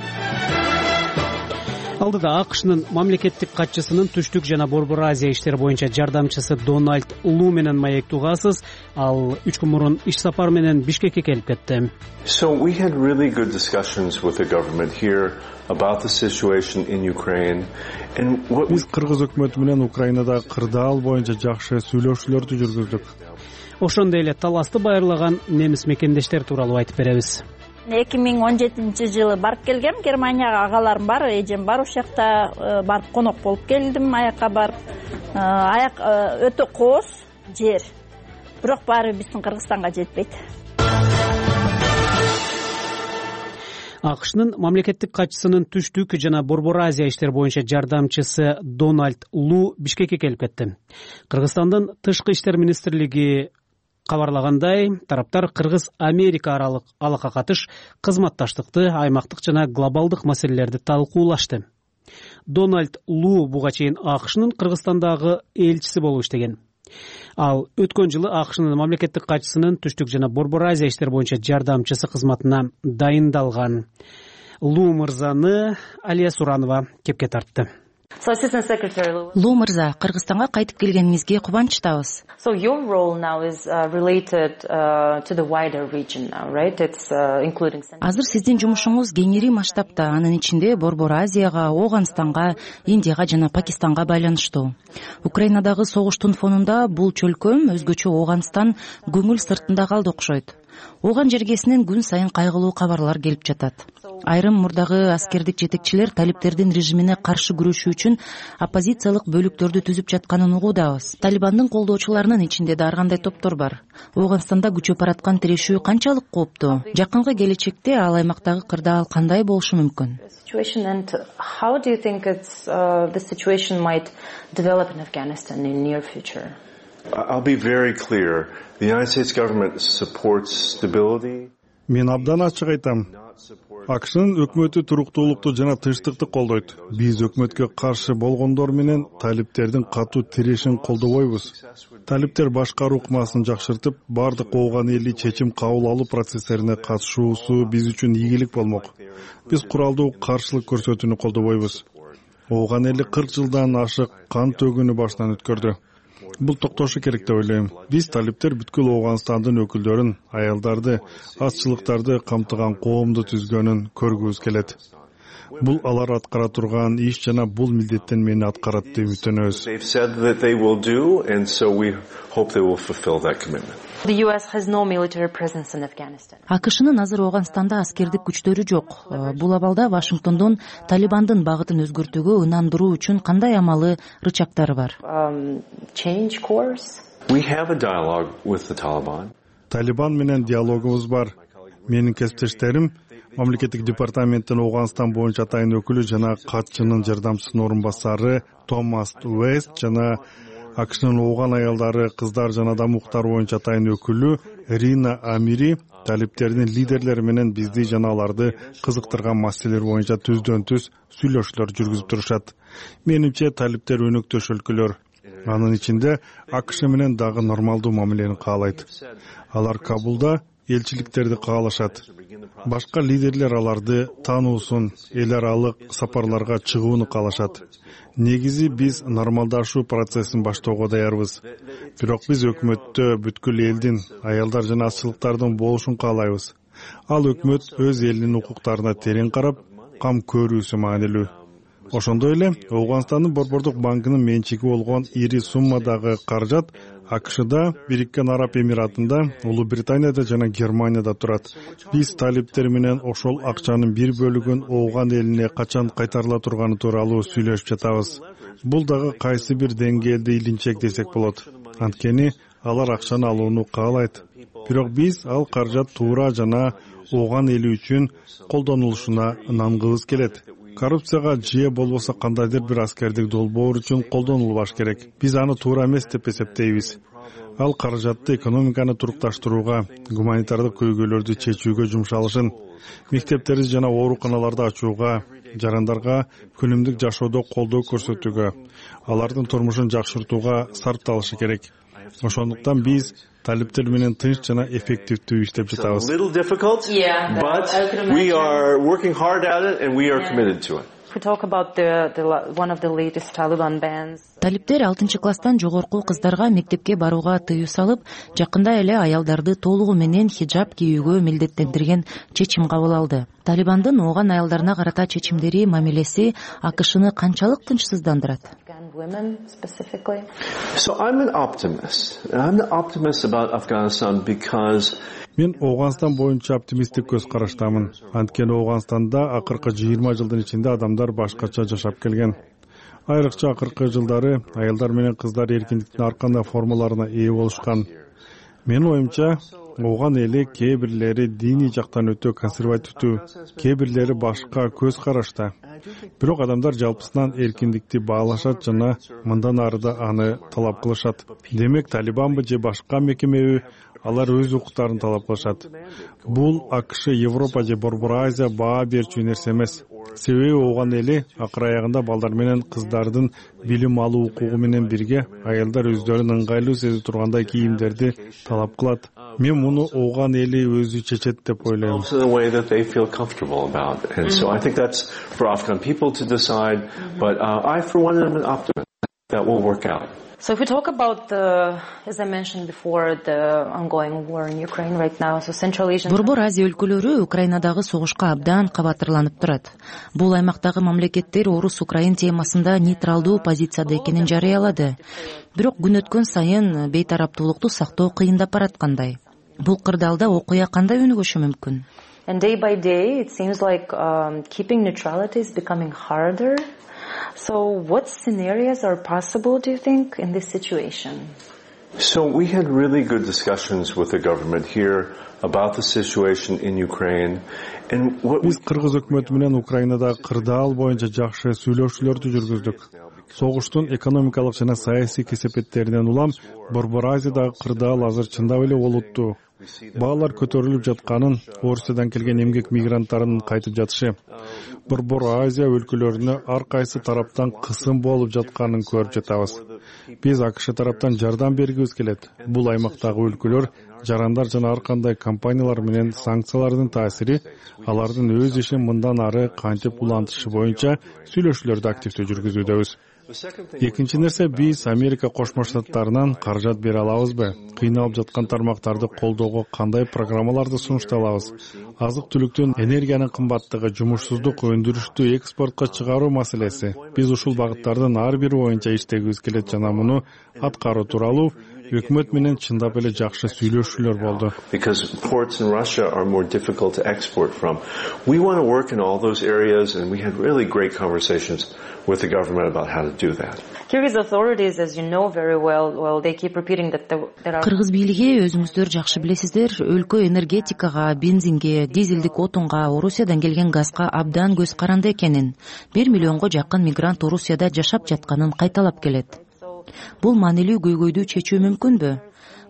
[SPEAKER 2] Алдыда АКШнын мамлекеттик катчысынын Түштүк жана Борбор Азия иштери боюнча жардамчысы Дональд Лу менен маек тугасыз. Ал үч күн мурун иш сапар менен Бишкекке келип кетти.
[SPEAKER 17] So we had really good discussions with the government here about the situation in Ukraine and what
[SPEAKER 18] Биз кыргыз өкмөтү менен Украинадагы кырдаал боюнча жакшы сүйлөшүүлөрдү жүргүздүк.
[SPEAKER 2] Ошондой эле таласты байырлаган немис мекендештер тууралуу айтып беребиз.
[SPEAKER 19] эки миң он жетинчи жылы барып келгем Германияга, агаларым бар, эжем бар, ошол жакта барып конок болуп келдим. Аякка барып, аяк өтө кооз жер, бирок баары биздин Кыргызстанга жетпейт.
[SPEAKER 2] АКШнын мамлекеттик катчысынын Түштүк жана Борбор Азия иштери боюнча жардамчысы Дональд Лу Бишкекке келип кетти. Кыргызстандын тышкы иштер министрлиги кабарлагандай, тараптар Кыргыз-Америка аралык алака катыш, кызматташтыкты, аймактык жана глобалдык маселелерди талкуулашты. Дональд Лу буга чейин АКШнын Кыргызстандагы элчиси болуп иштеген. Ал өткөн жылы АКШнын мамлекеттик катчысынын Түштүк жана Борбор Азия иштери боюнча жардамчысы кызматына дайындалган. Лу мырзаны Алия Суранова кепке тартты.
[SPEAKER 20] Лу мырза, Кыргызстанга кайтып келгениңизге кубанычтабыз. Азыр сиздин жумушуңуз кеңири масштабта, анын ичинде Борбор Азияга, Ооганстанга, Индияга жана Пакистанга байланыштуу. Украинадагы согуштун фонунда бул чөлкөм, өзгөчө Ооганстан көңүл сыртында калды окшойт. Ооган жергесинен күн сайын кайгылуу кабарлар келип жатат. Айрым мурдагы аскердик жетекчилер талиптердин режимине каршы күрөшүү үчүн оппозициялык бөлүктөрдү түзүп жатканын угуудабыз. Талибандын колдоочуларынын ичинде да ар кандай топтор бар. Ооганстанда күчөп бараткан тирешүү канчалык кооптуу? Жакынкы келечекте ал аймактагы кырдаал кандай болушу мүмкүн?
[SPEAKER 17] I'll be very clear. The United States government supports stability.
[SPEAKER 18] Мен абдан ачык айтам. АКШнын өкмөтү туруктуулукту жана тынчтыкты колдойт. Биз өкмөткө каршы болгондор менен талиптердин катуу тирешин колдобойбуз. Талиптер башкаруу ыкмасын жакшыртып, бардык ооган эли чечим кабыл алуу процесстерине катышуусу биз үчүн ийгилик болмок. Биз куралдуу каршылык көрсөтүүнү колдобойбуз. Ооган эли кырк жылдан ашык кан төгүүнү башынан өткөрдү. Бул токтошу керек деп ойлойм. Биз талиптер бүткүл Ооганстандын өкүлдөрүн, аялдарды, азчылыктарды камтыган коомду түзгөнүн көргүбүз келет. Бул алар аткара турган иш жана бул милдеттен мени аткарат деп үмүттөнөбүз.
[SPEAKER 20] АКШнын азыр Ооганстанда аскердик күчтөрү жок. Бул абалда Вашингтондун Талибандын багытын өзгөртүүгө ынандыруу үчүн кандай амалы, рычагдары бар?
[SPEAKER 18] Талибан менен диалогубуз бар. Менин кесиптештерим мамлекеттик департаменттин Ооганстан боюнча атайын өкүлү жана катчынын жардамчысынын орун басары Томас Уэст жана АКШнын ооган аялдары, кыздар жана адам укуктары боюнча атайын өкүлү Рина Амири талиптердин лидерлери менен бизди жана аларды кызыктырган маселелер боюнча түздөн түз сүйлөшүүлөр жүргүзүп турушат. Менимче талиптер өнөктөш өлкөлөр. Анын ичинде АКШ менен дагы нормалдуу мамилени каалайт. Алар Кабулда элчиликтерди каалашат. Башка лидерлер аларды таануусун, эл аралык сапарларга чыгууну каалашат. Негизи биз нормалдашуу процессин баштоого даярбыз. Бирок биз өкмөттө бүткүл элдин, аялдар жана азчылыктардын болушун каалайбыз. Ал өкмөт өз элинин укуктарына терең карап, кам көрүүсү маанилүү. Ошондой эле Ооганстандын Борбордук банкынын менчиги болгон ири суммадагы каражат АКШда, Бириккен Араб Эмиратында, Улуу Британияда жана Германияда турат. Биз талиптер менен ошол акчанын бир бөлүгүн ооган элине качан кайтарыла турганы тууралуу сүйлөшүп жатабыз. Бул дагы кайсы бир деңгээлде илинчек десек болот. Анткени алар акчаны алууну каалайт. Бирок биз ал каражат туура жана ооган эли үчүн колдонулушуна ынангыбыз келет. Коррупцияга же болбосо кандайдыр бир аскердик долбоор үчүн колдонулбаш керек. Биз аны туура эмес деп эсептейбиз. Ал каражатты экономиканы турукташтырууга, гуманитардык көйгөйлөрдү чечүүгө жумшалышын, мектептерди жана ооруканаларды ачууга, жарандарга күнүмдүк жашоодо колдоо көрсөтүүгө, алардын турмушун жакшыртууга сарпталышы керек. Ошондуктан биз талиптер менен тынч жана эффективдүү иштеп жатабыз.
[SPEAKER 20] Талиптер алтынчы класстан жогорку кыздарга мектепке барууга тыюу салып, жакында эле аялдарды толугу менен хиджаб кийүүгө милдеттендирген чечим кабыл алды. Талибандын ооган аялдарына карата чечимдери, мамилеси АКШны канчалык тынчсыздандырат?
[SPEAKER 18] Мен Ооганстан боюнча оптимисттик көз караштамын. Анткени Ооганстанда акыркы жыйырма жылдын ичинде адамдар башкача жашап келген. Айрыкча акыркы жылдары аялдар менен кыздар эркиндиктин ар кандай формаларына ээ болушкан. Менин оюмча, ооган эли кээ бирлери диний жактан өтө консервативдүү, кээ бирлери башка көз карашта. Бирок адамдар жалпысынан эркиндикти баалашат жана мындан ары да аны талап кылышат. Демек, Талибанбы же башка мекемеби, алар өз укуктарын талап кылышат. Бул АКШ, Европа же Борбор Азия баа берчү нерсе эмес. Себеби ооган эли акыр аягында балдар менен кыздардын билим алуу укугу менен бирге аялдар өздөрүн ыңгайлуу сезип тургандай кийимдерди талап кылат. Мен муну ооган эли өзү чечет деп ойлойм.
[SPEAKER 20] So if we talk about the, as I mentioned before, the ongoing war in Ukraine right now, so Central Asian... Борбор Азия өлкөлөрү Украинадагы согушка абдан кабатырланып турат. Бул аймактагы мамлекеттер орус-украин темасында нейтралдуу позицияда экенин жарыялады. Бирок күн өткөн сайын бейтараптуулукту сактоо кыйындап бараткандай. Бул кырдаалда окуя кандай өнүгүшү мүмкүн? And day by day, it seems like um, keeping neutrality is becoming harder. So what scenarios are possible, do you think, in this situation?
[SPEAKER 17] So we had really good discussions with the government here about the situation in Ukraine. And what
[SPEAKER 18] Биз Кыргыз өкмөтү менен Украинадагы кырдаал боюнча жакшы сүйлөшүүлөрдү жүргүздүк. Согуштун экономикалык жана саясий кесепеттеринен улам Борбор Азиядагы кырдаал азыр чындап эле олуттуу. Баалар көтөрүлүп жатканын, Орусиядан келген эмгек мигранттарынын кайтып жатышы, Борбор Азия өлкөлөрүнө ар кайсы тараптан кысым болуп жатканын көрүп жатабыз. Биз АКШ тараптан жардам бергибиз келет. Бул аймактагы өлкөлөр, жарандар жана ар кандай компаниялар менен санкциялардын таасири алардын өз ишин мындан ары кантип улантышы боюнча сүйлөшүүлөрдү активдүү жүргүзүүдөбүз. Экинчи нерсе, биз Америка Кошмо Штаттарынан каражат бере алабызбы? Кыйналып жаткан тармактарды колдоого кандай программаларды сунушталабыз? Азык-түлүктүн, энергиянын кымбаттыгы, жумушсуздук, өндүрүштү экспортко чыгаруу маселеси. Биз ушул багыттардын ар бири боюнча иштегибиз келет жана муну аткаруу тууралуу өкмөт менен чындап эле жакшы сүйлөшүүлөр болду.
[SPEAKER 17] Because ports in Russia are more difficult to export from. We want to work in all those areas, and we had really great conversations with the government about how to do that.
[SPEAKER 20] Kyrgyz authorities, as you know very well, well, they keep repeating that there are... Кыргыз бийлиги, өзүңүздөр жакшы билесиздер, өлкө энергетикага, бензинге, дизелдик отунга, Орусиядан келген газга абдан көз каранды экенин, бир миллионго жакын мигрант Орусияда жашап жатканын кайталап келет. Бул маанилүү көйгөйдү чечүү мүмкүнбү?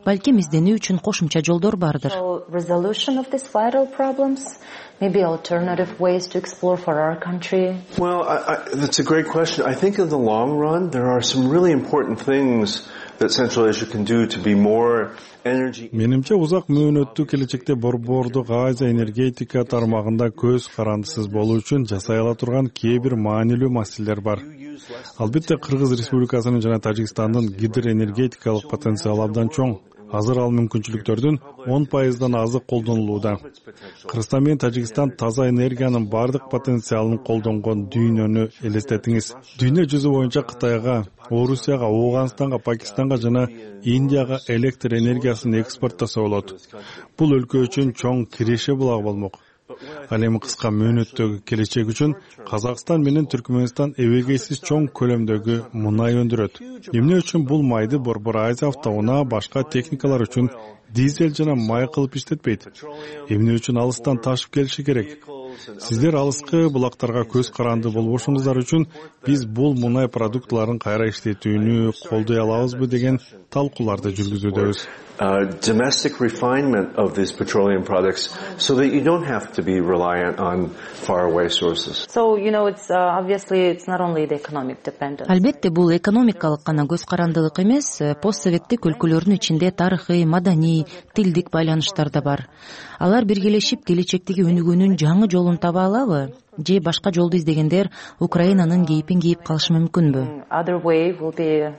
[SPEAKER 20] Балким изденүү үчүн кошумча жолдор бардыр. Resolution of these vital problems, maybe alternative ways to explore for our country.
[SPEAKER 17] Well, I, I, that's a great question. I think in the long run, there are some really important things that Central Asia can do to be more energy.
[SPEAKER 18] Менимче узак мөөнөттүү келечекте Борбордук Азия энергетика тармагында көз карандысыз болуу үчүн жасай ала турган кээ бир маанилүү маселелер бар. Албетте, Кыргыз Республикасынын жана Тажикстандын гидроэнергетикалык потенциалы абдан чоң. Азыр ал мүмкүнчүлүктөрдүн он пайыздан азы колдонулууда. Кыргызстан менен Тажикстан таза энергиянын бардык потенциалын колдонгон дүйнөнү элестетиңиз. Дүйнө жүзү боюнча Кытайга, Орусияга, Ооганстанга, Пакистанга жана Индияга электр энергиясын экспорттаса болот. Бул өлкө үчүн чоң киреше булагы болмок. Ал эми кыска мөөнөттөгү келечек үчүн Казакстан менен Түркмөнстан эбегейсиз чоң көлөмдөгү мунай өндүрөт. Эмне үчүн бул майды Борбор Азия автоунаа башка техникалар үчүн дизель жана май кылып иштетпейт? Эмне үчүн алыстан ташып келиши керек? Сиздер алыскы булактарга көз каранды болбошуңуздар үчүн биз бул мунай продуктыларын кайра иштетүүнү колдой алабызбы деген талкууларды жүргүзүүдөбүз.
[SPEAKER 17] Uh, domestic refinement of these petroleum products so that you don't have to be reliant on faraway sources.
[SPEAKER 20] So, you know, it's uh, obviously it's not only the economic dependence. Албетте, бул экономикалык гана көз карандылык эмес, постсоветтик өлкөлөрдүн ичинде тарыхый, маданий, тилдик байланыштар да бар. Алар биргелешип келечектеги өнүгүүнүн жаңы жолун таба алабы? Же башка жолду издегендер Украинанын кейипин кийип калышы мүмкүнбү?
[SPEAKER 21] Other way will be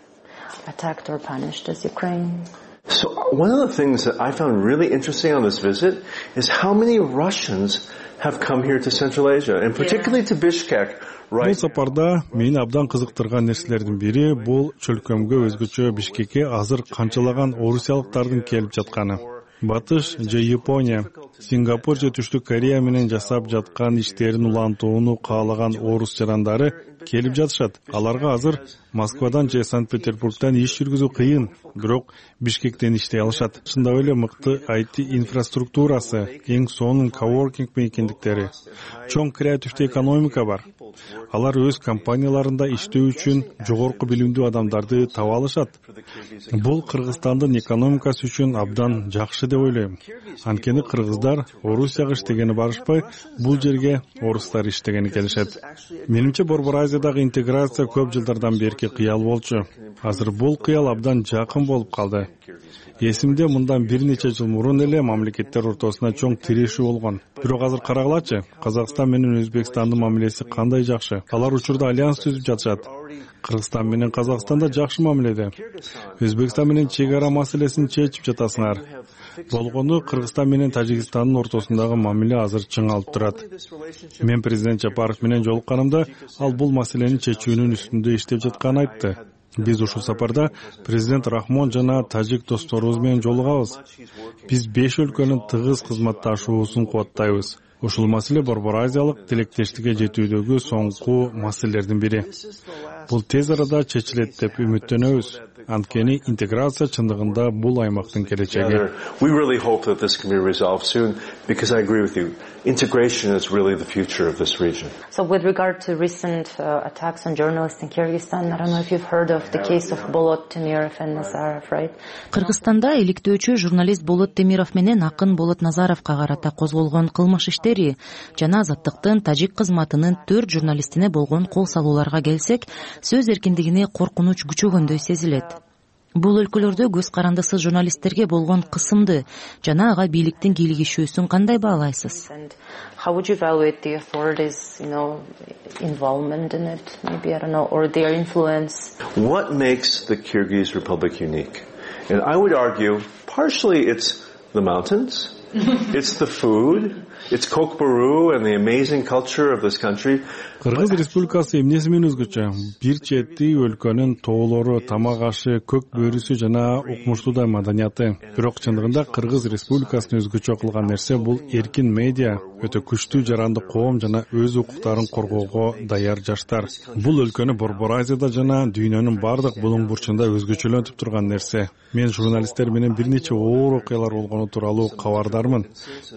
[SPEAKER 21] attacked or punished as Ukraine.
[SPEAKER 17] So one of the things that I found really interesting on this visit is how many Russians have come here to Central Asia, and particularly to Bishkek.
[SPEAKER 18] Бул сапарда мени абдан кызыктырган нерселердин бири бул чөлкөмгө өзгөчө Бишкекке азыр канчалаган орусиялыктардын келип жатканы. Батыш же Япония, Сингапур же Түштүк Корея менен жасап жаткан иштерин улантууну каалаган орус жарандары келип жатышат. Аларга азыр Москвадан же Санкт-Петербургдан иш жүргүзүү кыйын, бирок Бишкектен иштей алышат. Чындап эле мыкты ай ти инфраструктурасы, эң сонун коворкинг мейкиндиктери, чоң креативдүү экономика бар. Алар өз компанияларында иштөө үчүн жогорку билимдүү адамдарды таба алышат. Бул Кыргызстандын экономикасы үчүн абдан жакшы деп ойлойм. Анткени кыргыздар Орусияга иштегени барышпай, бул жерге орустар иштегени келишет. Менимче Борбор Азиядагы интеграция көп жылдардан берки кыял болчу. Азыр бул кыял абдан жакын болуп калды. Эсимде мындан бир нече жыл мурун эле мамлекеттер ортосуна чоң тирешүү болгон. Бирок азыр карагылачы, Казакстан менен Өзбекстандын мамилеси кандай жакшы. Алар учурда альянс түзүп жатышат. Кыргызстан менен Казакстан да жакшы мамиледе. Өзбекстан менен чек ара маселесин чечип жатасыңар. Болгону Кыргызстан менен Тажикстандын ортосундагы мамиле азыр чыңалып турат. Мен президент Жапаров менен жолукканымда ал бул маселени чечүүнүн үстүндө иштеп жатканын айтты. Биз ушул сапарда президент Рахмон жана тажик досторубуз менен жолугабыз. Биз беш өлкөнүн тыгыз кызматташуусун кубаттайбыз. Ушул маселе Борбор Азиялык тилектештикке жетүүдөгү соңку маселелердин бири. Бул тез арада чечилет деп үмүттөнөбүз. Анткени интеграция чындыгында бул аймактын келечеги.
[SPEAKER 17] We really hope that this can be resolved soon, because I agree with you. Integration is really the future of this region.
[SPEAKER 21] So with regard to recent uh, attacks on journalists in Kyrgyzstan, I don't know if you've heard of the case of Bolot Temirov and Nazarov, right?
[SPEAKER 20] Кыргызстанда иликтөөчү журналист Болот Темиров менен акын Болот Назаровго карата козголгон кылмыш иштери жана Азаттыктын тажик кызматынын төрт журналистине болгон кол салууларга келсек, сөз эркиндигине коркунуч күчөгөндөй сезилет. Бул өлкөлөрдө көз карандысыз журналисттерге болгон кысымды жана ага бийликтин кийлигишүүсүн кандай баалайсыз?
[SPEAKER 21] How would you evaluate the authorities, you know, involvement in it, maybe, I don't know, or their influence?
[SPEAKER 17] What makes the Kyrgyz Republic unique? And I would argue, partially it's the mountains, it's the food, it's Kokboru and the amazing culture of this country.
[SPEAKER 18] Кыргыз Республикасы эмнеси менен өзгөчө? Бир чети өлкөнүн тоолору, тамак ашы, көк бөрүсү жана укмуштуу маданияты. Бирок чындыгында Кыргыз Республикасын өзгөчө кылган нерсе бул эркин медиа, өтө күчтүү жаранды коом жана өз укуктарын коргоого даяр жаштар. Бул өлкөнү Борбор Азияда жана дүйнөнүн бардык булуң бурчунда өзгөчөлөнтүп турган нерсе. Мен журналисттер менен бир нече оор окуялар болгону тууралуу кабардармын.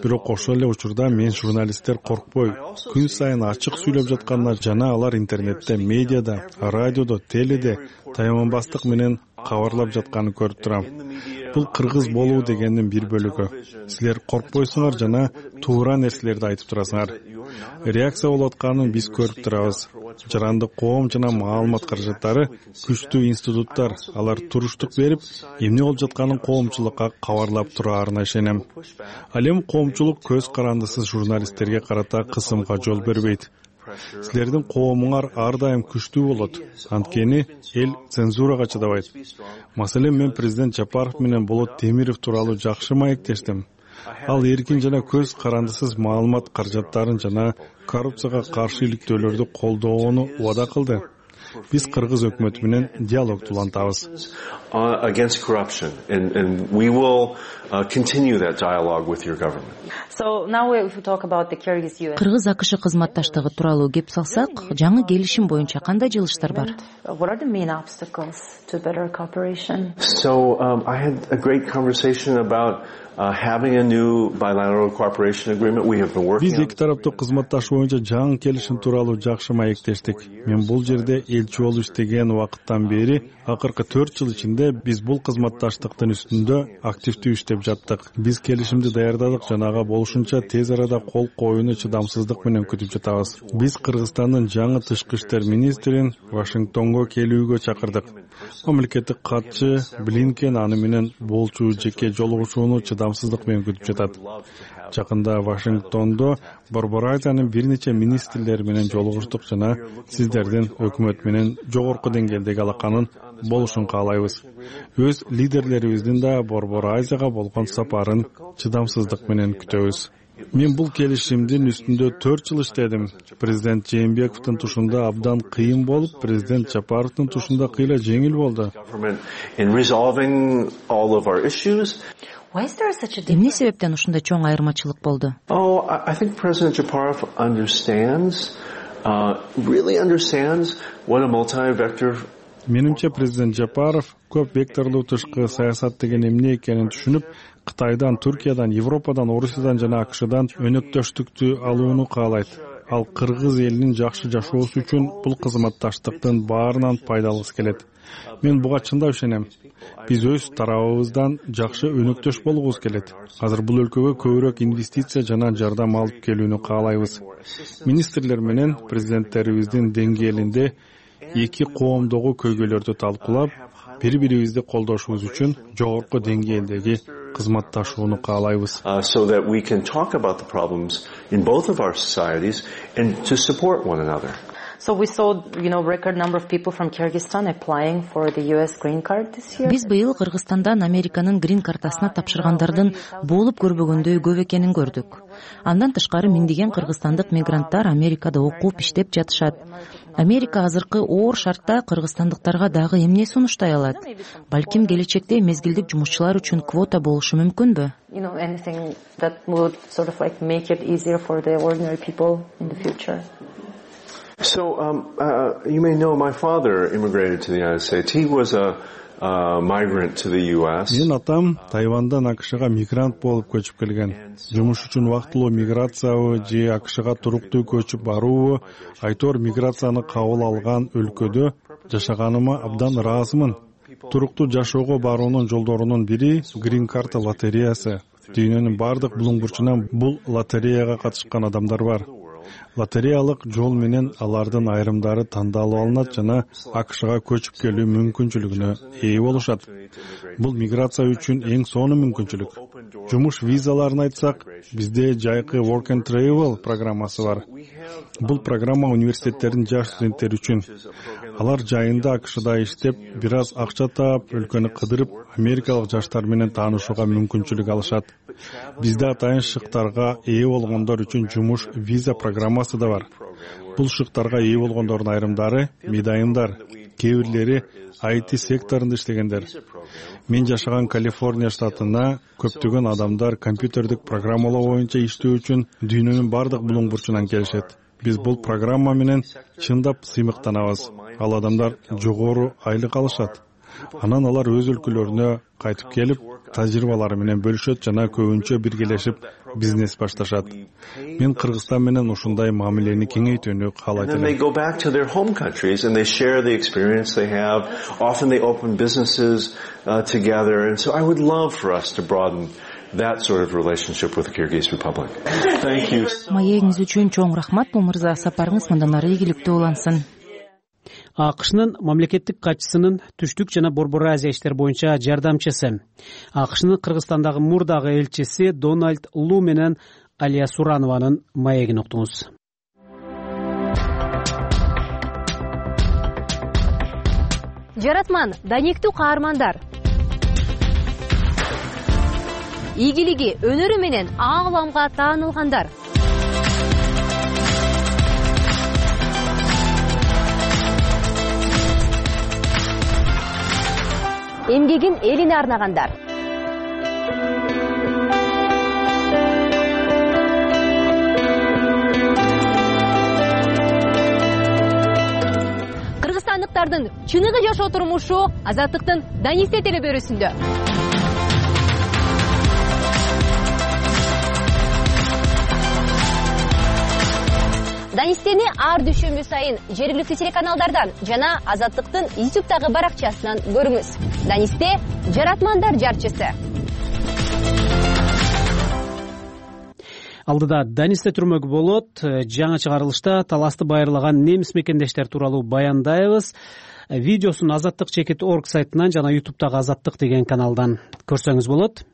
[SPEAKER 18] Бирок ошол эле учурда мен журналисттер коркпой, күн сайын ачык сүйлөп жаткан жана алар интернетте, медиада, радиодо, теледе таяманбастык менен кабарлап жатканын көрүп турам. Бул кыргыз болуу дегендин бир бөлүгү. Силер коркпойсуңар жана туура нерселерди айтып турасыңар. Реакция болуп атканын биз көрүп турабыз. Жаранды коом жана маалымат каражаттары күчтүү институттар, алар туруштук берип, эмне болуп жатканын коомчулукка кабарлап тураарына ишенем. Ал эми коомчулук көз карандысыз журналисттерге карата кысымга жол бербейт. Силердин коомуңар ар дайым күчтүү болот. Анткени эл цензурага чыдабайт. Маселен, мен президент Жапаров менен Болот Темиров тууралуу жакшы маектештим. Ал эркин жана көз карандысыз маалымат каражаттарын жана коррупцияга каршы иликтөөлөрдү колдоону убада кылды. Биз кыргыз өкмөтү менен диалогду улантабыз.
[SPEAKER 17] Against corruption, and and we will continue that dialogue with your government.
[SPEAKER 21] So now if we talk about the Kyrgyz U S
[SPEAKER 20] Кыргыз АКШ кызматташтыгы тууралуу кеп салсак, жаңы келишим боюнча кандай жылыштар бар?
[SPEAKER 21] What are the main obstacles to better cooperation?
[SPEAKER 17] So um, I had a great conversation about
[SPEAKER 18] Биз эки тараптуу кызматташуу боюнча жаңы келишим тууралуу жакшы маектештик. Мен бул жерде элчи болуп иштеген убакыттан бери акыркы төрт жыл ичинде биз бул кызматташтыктын үстүндө активдүү иштеп жаттык. Биз келишимди даярдадык жана ага болушунча тез арада кол коюуну чыдамсыздык менен күтүп жатабыз. Биз Кыргызстандын жаңы тышкы иштер министрин Вашингтонго келүүгө чакырдык. Мамлекеттик катчы Блинкен аны менен болчу жеке жолугушууну чыдамсыздык менен күтүп жатат. Жакында Вашингтондо Борбор Азиянын бир нече министрлери менен жолугуштук жана сиздердин өкмөт менен жогорку деңгээлдеги алаканын болушун каалайбыз. Өз лидерлерибиздин да Борбор Азияга болгон сапарын чыдамсыздык менен күтөбүз. Мен бул келишимдин үстүндө төрт жыл иштедим. Президент Жээнбековдун тушунда абдан кыйын болуп, президент Жапаровдун тушунда кыйла жеңил болду.
[SPEAKER 20] Эмне себептен ушундай чоң айырмачылык болду?
[SPEAKER 17] Oh, I think President Japarov understands, uh, really understands what a multi-vector.
[SPEAKER 18] Менимче президент Жапаров көп векторлуу тышкы саясат деген эмне экенин түшүнүп, Кытайдан, Түркиядан, Европадан, Орусиядан жана АКШдан өнөктөштүктү алууну каалайт. Ал кыргыз элинин жакшы жашоосу үчүн бул кызматташтыктын баарынан пайдалгысы келет. Мен буга чындап ишенем. Биз өз тарабыбыздан жакшы өнөктөш болгубуз келет. Азыр бул өлкөгө көбүрөөк инвестиция жана жардам алып келүүнү каалайбыз. Министрлер менен президенттерибиздин деңгээлинде эки коомдогу көйгөйлөрдү талкуулап, бири-бирибизди колдошубуз үчүн жогорку деңгээлдеги кызматташууну каалайбыз.
[SPEAKER 17] So that we can talk about the problems in both of our societies and to support one another.
[SPEAKER 21] So we saw, you know, record number of people from Kyrgyzstan applying for the U S green card this year.
[SPEAKER 20] Биз быйыл Кыргызстандан Американын грин картасына тапшыргандардын болуп көрбөгөндөй көп экенин көрдүк. Андан тышкары миңдеген кыргызстандык мигранттар Америкада окуп иштеп жатышат. Америка азыркы оор шартта кыргызстандыктарга дагы эмне сунуштай алат? Балким келечекте мезгилдик жумушчулар үчүн квота болушу мүмкүнбү?
[SPEAKER 21] You know, anything that would sort of like make it easier for the ordinary people in the future.
[SPEAKER 17] So, um, uh, you may know my father immigrated to the United States. He was a uh, migrant to the U S.
[SPEAKER 18] Мен атам Тайвандан АКШга мигрант болуп көчүп келген. Жумуш үчүн убактылуу миграциябы же АКШга туруктуу көчүп баруубу, айтор миграцияны кабыл алган өлкөдө жашаганыма абдан ыраазымын. Туруктуу жашоого баруунун жолдорунун бири грин карта лотереясы. Дүйнөнүн бардык булуң бурчунан бул лотереяга катышкан адамдар бар. Лотереялык жол менен алардын айрымдары тандалып алынат жана АКШга көчүп келүү мүмкүнчүлүгүнө ээ болушат. Бул миграция үчүн эң сонун мүмкүнчүлүк. Жумуш визаларын айтсак, бизде жайкы Work and Travel программасы бар. Бул программа университеттердин жаш студенттери үчүн. Алар жайында АКШда иштеп, бир аз акча таап, өлкөнү кыдырып, америкалык жаштар менен таанышууга мүмкүнчүлүк алышат. Бизде атайын шыктарга ээ болгондор үчүн жумуш виза программасы да бар. Бул шыктарга ээ болгондордун айрымдары медайымдар, кээ бирлери ай ти секторунда иштегендер. Мен жашаган Калифорния штатына көптөгөн адамдар компьютердик программалоо боюнча иштөө үчүн дүйнөнүн бардык булуң бурчунан келишет. Биз бул программа менен чындап сыймыктанабыз. Ал адамдар жогору айлык алышат. Анан алар өз өлкөлөрүнө кайтып келип, тажрыйбалары менен бөлүшөт жана көбүнчө биргелешип бизнес башташат. Мен Кыргызстан менен ушундай мамилени кеңейтүүнү каалайт элем.
[SPEAKER 17] They go back to their home countries and they share the experience they have. Often they open businesses uh, together, and so I would love for us to broaden that sort of relationship with the Kyrgyz Republic. Thank you.
[SPEAKER 20] Маегиңиз үчүн чоң рахмат, бул мырза. Сапарыңыз мындан ары ийгиликтүү улансын.
[SPEAKER 2] АКШнын мамлекеттик катчысынын түштүк жана Борбор Азия иштер боюнча жардамчысы, АКШнын Кыргызстандагы мурдагы элчиси Дональд Лу менен Алия Суранованын маегин уктуңуз.
[SPEAKER 1] Жаратман, даниктүү каармандар. Ийгилиги, өнөрү менен ааламга таанылгандар. Эмгегин элине арнагандар. Кыргызстандыктардын чыныгы жашоо турмушу Азаттыктын Данисте телебөрүсүндө. Данистени ар дүйшөмбү сайын жергиликтүү телеканалдардан жана Азаттыктын ютубтагы баракчасынан көрүңүз. Данисте жаратмандар жарчысы.
[SPEAKER 2] Алдыда Данисте түрмөк болот. Жаңы чыгарылышта таласты байырлаган немис мекендештер тууралуу баяндайбыз. Видеосун Азаттык чекит точка орг сайтынан жана ютубтагы Азаттык деген каналдан көрсөңүз болот.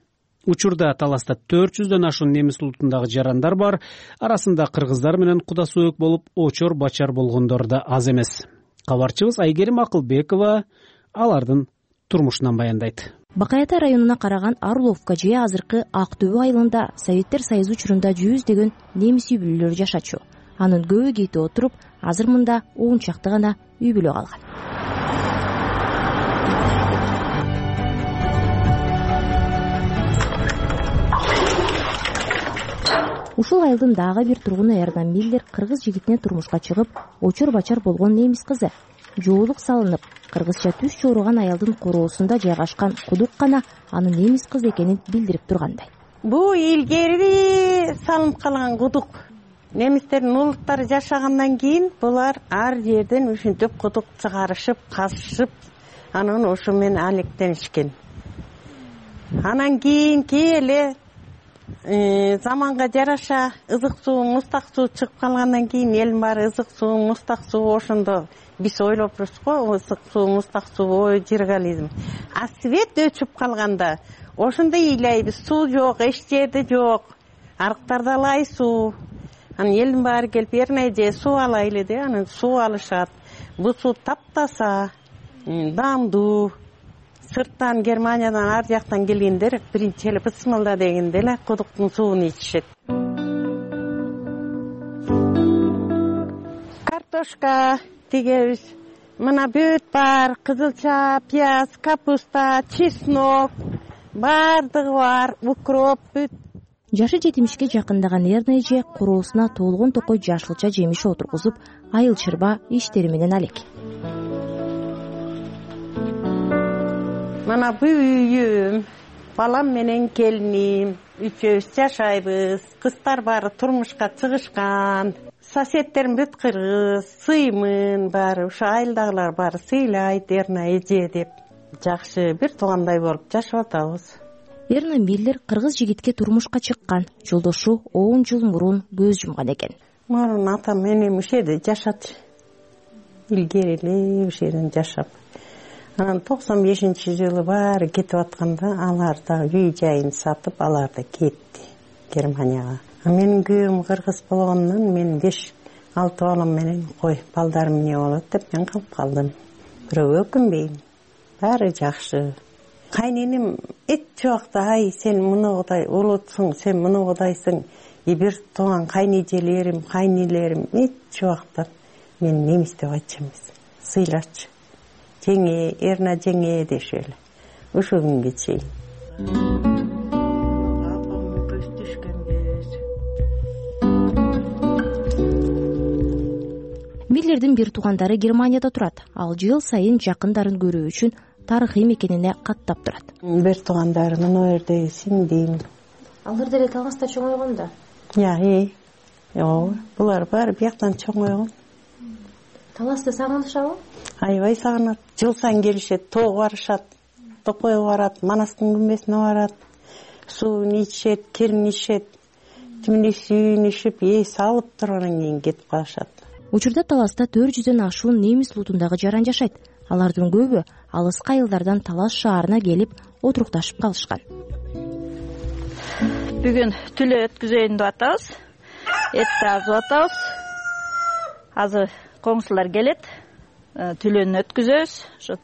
[SPEAKER 2] Учурда таласта төрт жүздөн ашуун немис улутундагы жарандар бар. Арасында кыргыздар менен кудасөөк болуп, очор бачар болгондор да аз эмес. Кабарчыбыз Айгерим Акылбекова алардын турмушунан баяндайт.
[SPEAKER 7] Бакаята районуна караган Орловка же азыркы Ак Төбө айылында Советтер Союзу учурунда жүздөгөн немис үй бүлөлөр жашачу. Анын көбү кетип отуруп, азыр мында он чакты гана үй бүлө калган. Ушул айылдын дагы бир тургуну Эрна Миллер кыргыз жигитине турмушка чыгып, очор бачар болгон немис кызы. Жоолук салынып, кыргызча түз чоруган аялдын короосунда жайгашкан кудук гана анын немис кыз экенин билдирип тургандай.
[SPEAKER 22] Бул илгери салынып калган кудук. Немистердин улуттары жашагандан кийин булар ар жерден ушинтип кудук чыгарышып, казышып, анан ошо менен алектенишкен. Анан кийинки эле заманга жараша ызык суу, мустак суу чыгып калгандан кийин элдин баары ызык суу, мустак суу ошондо биз ойлоп турсуз го, ызык суу, мустак суу, ой жиргализм. А свет өчүп калганда ошондо ыйлайбыз, суу жок, эч жерде жок. Арыктарда алай суу. Анан элдин баары келип Эрна эже суу алайлы деп, анан суу алышат. Бул суу таптаса, даамдуу. Сырттан, Германиядан, ар жактан келгендер биринчи эле бысмылда дегенде эле кудуктун суун ичишет. Картошка тигебиз. Мына бүт бар, кызылча, пияз, капуста, чеснок, бардыгы бар, укроп, бүт.
[SPEAKER 7] Жашы жетимишке жакындаган Эрна эже короосуна толгон токой жашылча жемиш отургузуп, айыл чырба иштери менен алек.
[SPEAKER 22] Мана бул үйүм, балам менен келиним, үчөөбүз жашайбыз. Кыздар баары турмушка чыгышкан. Соседтерим бүт кыргыз, сыймын баары, ушу айылдагылар баары сыйлайт Эрна эже деп. Жакшы бир туугандай болуп жашап атабыз.
[SPEAKER 7] Эрна Миллер кыргыз жигитке турмушка чыккан. Жолдошу он жыл мурун көз жумган экен.
[SPEAKER 22] Мурун атам менен ушул жерде жашачы. Илгери эле ушул жерден жашап. Анан токсон бешинчи жылы баары кетип атканда алар да үй жайын сатып, алар да кетти Германияга. Менин күйөөм кыргыз болгондон мен беш алты балам менен кой, балдарым эмне болот деп мен калып калдым. Бирок өкүнбөйм. Баары жакшы. Кайненем эч убакта ай сен мынагыдай улутсуң, сен мынагыдайсың, и бир тууган кайнежелерим, кайнелерим эч убакта мен немис деп айтчу эмес. Сыйлачы. Жеңе, Эрна жеңе деши эле. Ушул күнгө чейин.
[SPEAKER 7] Миллердин бир туугандары Германияда турат. Ал жыл сайын жакындарын көрүү үчүн тарыхый мекенине каттап турат.
[SPEAKER 22] Бир туугандары мына жерде сиңдим.
[SPEAKER 7] Алар деле Таласта чоңойгон да.
[SPEAKER 22] Я, э. Ооба, булар баары бияктан чоңойгон.
[SPEAKER 7] Таласты сагынышабы?
[SPEAKER 22] Аябай сагынат. Жыл сайын келишет, тоого барышат, Токойго барат, Манастын күмбесине барат. Суун ичишет, кирин ичишет. Тимине сүйүн ичип, эс алып тургандан кийин кетип калышат.
[SPEAKER 7] Учурда Таласта төрт жүздөн ашуун немис улутундагы жаран жашайт. Алардын көбү алыскы айылдардан Талас шаарына келип отурукташып калышкан.
[SPEAKER 19] Бүгүн түлө өткүзөйүн деп атабыз. Этти азып атабыз. Азыр коңшулар келет. Түлөнү өткүзөбүз. Ошо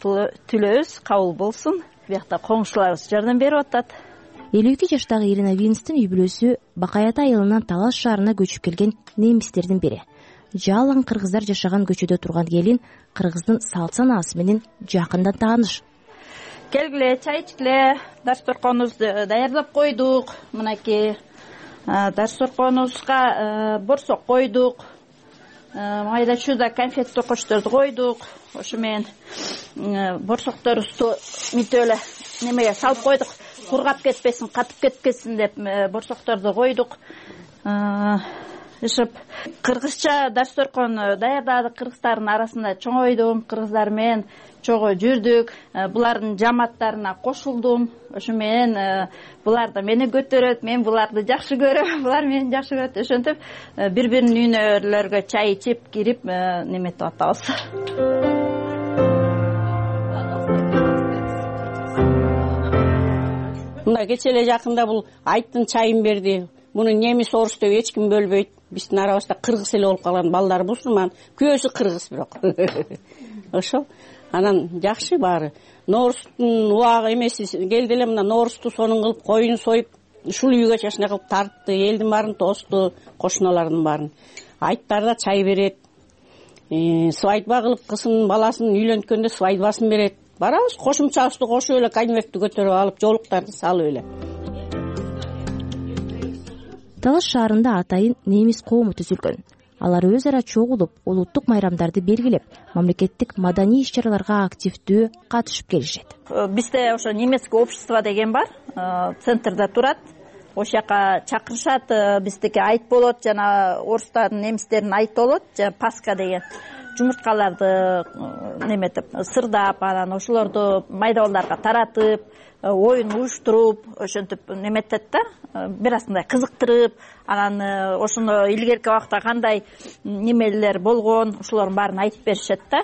[SPEAKER 19] түлөөбүз кабыл болсун. Биякта коңшуларыбыз жардам берип атат.
[SPEAKER 7] элүү эки жаштагы Ирина Винстин үй бүлөсү Бакаята айылынан Талас шаарына көчүп келген немистердин бири. Жалаң кыргыздар жашаган көчөдө турган келин кыргыздын салт санаасы менен жакындан тааныш.
[SPEAKER 19] Келгиле, чай ичкиле, дасторконубузду даярдап койдук. Мынакей дасторконубузга борсок койдук. Майда чуда конфет токочторду койдук. Ошо менен борсокторубузду мынтип эле немеге салып койдук. Кургап кетпесин, катып кетпесин деп борсокторду койдук. тырышып кыргызча дасторкон даярдадык. Кыргыздардын арасында чоңойдум, кыргыздар менен чогуу жүрдүк, булардын жамааттарына кошулдум. Ошо менен булар да мени көтөрөт, мен буларды жакшы көрөм, булар мени жакшы көрөт. Ошентип бири биринин үйүнөлөргө чай ичип кирип неметип атабыз.
[SPEAKER 8] Мына кече эле жакында бул айттын чайын берди. Муну немис, орус деп эч ким бөлбөйт. Биздин арабызда кыргыз эле болуп калган, балдар мусулман, күйөөсү кыргыз бирок. Ошол. Анан жакшы баары. Ноорустун убагы эмеси келди эле, мына ноорусту сонун кылып, коюн союп, ушул үйгө чачына кылып тартты, элдин баарын тосту, кошуналардын баарын. Айттар да чай берет. Свадьба кылып кызын баласын үйлөнткөндө свадьбасын берет. Барабыз, кошумчабызды кошуп эле, конвертти көтөрүп алып, жоолуктарды салып эле.
[SPEAKER 7] Талаш шаарында атайын немис коому түзүлгөн. Алар өз ара чогулуп, улуттук майрамдарды белгилеп, мамлекеттик маданий иш-чараларга активдүү катышып келишет.
[SPEAKER 19] Бизде ошо немецкое общество деген бар, центрда турат. Ошол жака чакырышат, биздики айт болот, жана орустардын, немистердин айты болот, жана Пасха деген. Жумурткаларды неметип, сырдап, анан ошолорду майда балдарга таратып, оюн уюштуруп, ошентип неметет да, бир азындай кызыктырып, анан ошону илгерки убакта кандай немелер болгон, ошолордун баарын айтып беришет да.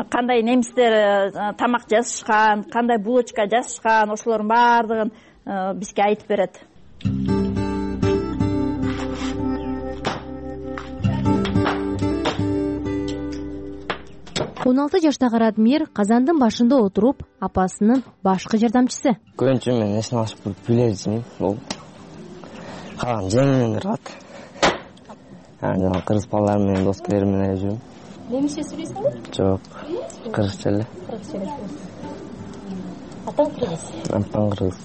[SPEAKER 19] Кандай немистер тамак жасашкан, кандай булочка жасашкан, ошолордун баардыгын бизге айтып берет.
[SPEAKER 7] он алты жаштагы Радмир казандын башында отуруп, апасынын башкы жардамчысы.
[SPEAKER 9] Көбүнчө мен эсин алып билерсиң, бул калган жеңимден турат. Анан кыргыз балдар менен, дос келерим менен жүрөм.
[SPEAKER 7] Немисче сүйлөйсүңбү?
[SPEAKER 9] Жок, кыргызча эле.
[SPEAKER 7] Кыргызча эле. Атаң кыргыз?
[SPEAKER 9] Атаң кыргыз.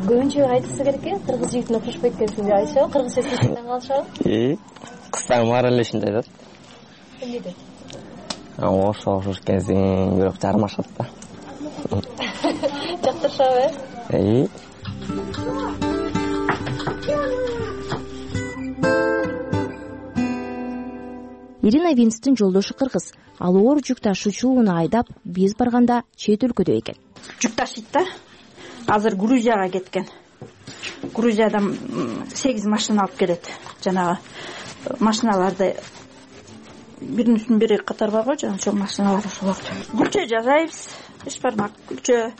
[SPEAKER 7] Көбүнчө айтысы керек э, кыргыз жигитине окшошпойт экенсиң деп айтышабы, кыргызча сүйлөшкөндөн калышабы?
[SPEAKER 9] Ии, кыздарым баары эле ушундай айтат.
[SPEAKER 7] Эмне дейт?
[SPEAKER 9] Орусча окшош экенсиң, бирок жармашат да.
[SPEAKER 7] Жактырышабы, э?
[SPEAKER 9] Ии.
[SPEAKER 7] Ирина Винстин жолдошу кыргыз. Ал оор жүк ташуучууну айдап, биз барганда чет өлкөдө экен.
[SPEAKER 19] Жүк ташыйт да. Азыр Грузияга кеткен. Грузиядан сегиз машина алып келет. Жанагы машиналарды биринин бири катар бар го, жана ошол машиналар ошолорду. Күлчө жасайбыз. Бешбармак күлчө,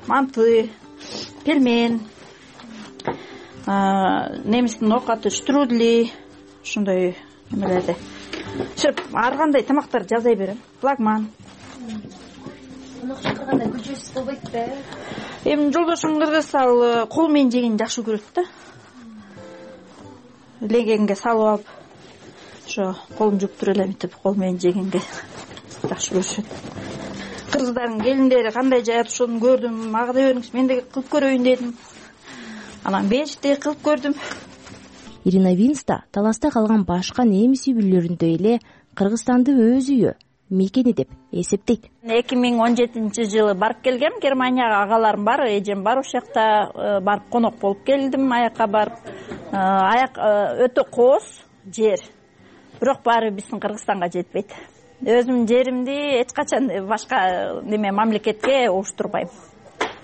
[SPEAKER 19] манты, пельмен, немистин оокаты штрудли, ушундай немелерди. Шеп, ар кандай тамактарды жасай берем. Флагман.
[SPEAKER 7] Тамак чакырганда күлчөсүз болбойт да.
[SPEAKER 19] Эми жолдошум кыргыз, ал кол менен жегенди жакшы көрөт да. Легенге салып алып, ошо колун жууп туруп эле мынтип кол менен жегенге жакшы көрүшөт. Кыргыздардын келиндери кандай жаят, ошону көрдүм. Мага да бериңиз, мен да кылып көрөйүн дедим. Анан беришти, кылып көрдүм.
[SPEAKER 7] Ирина Винста таласта калган башка немис үй бүлөлөрүндөй эле Кыргызстанды өз үйү, мекени деп эсептейт.
[SPEAKER 19] эки миң он жетинчи жылы барып келгем, Германияга агаларым бар, эжем бар, ошол жакта барып конок болуп келдим, аякка барып. Аяк өтө кооз жер. Бирок баары биздин Кыргызстанга жетпейт. Өзүмдүн жеримди эч качан башка неме мамлекетке уруштурбайм.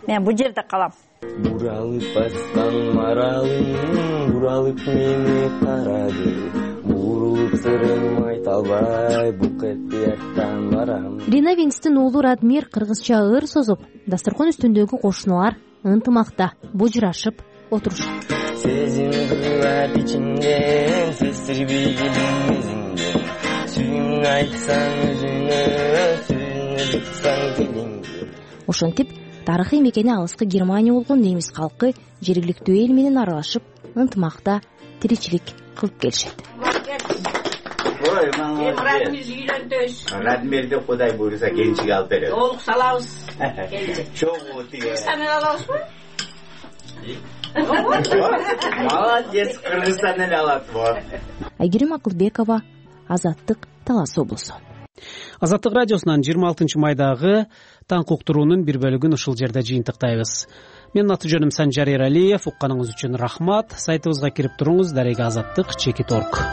[SPEAKER 19] Мен бул жерде калам.
[SPEAKER 9] Буралып баскан маралым, буралып мени карады. Бурулуп сырым айта албай, бук этияттан барам.
[SPEAKER 7] Ирина Винстин уулу Радмир кыргызча ыр созуп, дасторкон үстүндөгү кошуналар ынтымакта бужурашып отурушат.
[SPEAKER 9] Сезим кырат ичинден, сездирбей келдим өзүңдөн. Сүйүүңдү айтсаң өзүңө, сөзүңдү бутсаң тилиңди.
[SPEAKER 7] Ошентип тарыхый мекени алыскы Германия болгон немис калкы жергиликтүү эл менен аралашып, ынтымакта тиричилик кылып келишет.
[SPEAKER 23] Радмирди үйлөнтөбүз. Радмирди Кудай буйруса келинчик алып берет. Жоолук салабыз. Чогуу тиге. Кыргызстандан алабызбы? Молодец, Кыргызстандан алат. Айгерим Акылбекова, Азаттык, Талас облусу.
[SPEAKER 2] Азаттык радиосунан жыйырма алтынчы майдагы таң уктуруунун бир бөлүгүн ушул жерде жыйынтыктайбыз. Менин аты жөнүм Санжар Эралиев. Укканыңыз үчүн рахмат. Сайтыбызга кирип туруңуз. Дареге азаттык чекит орг.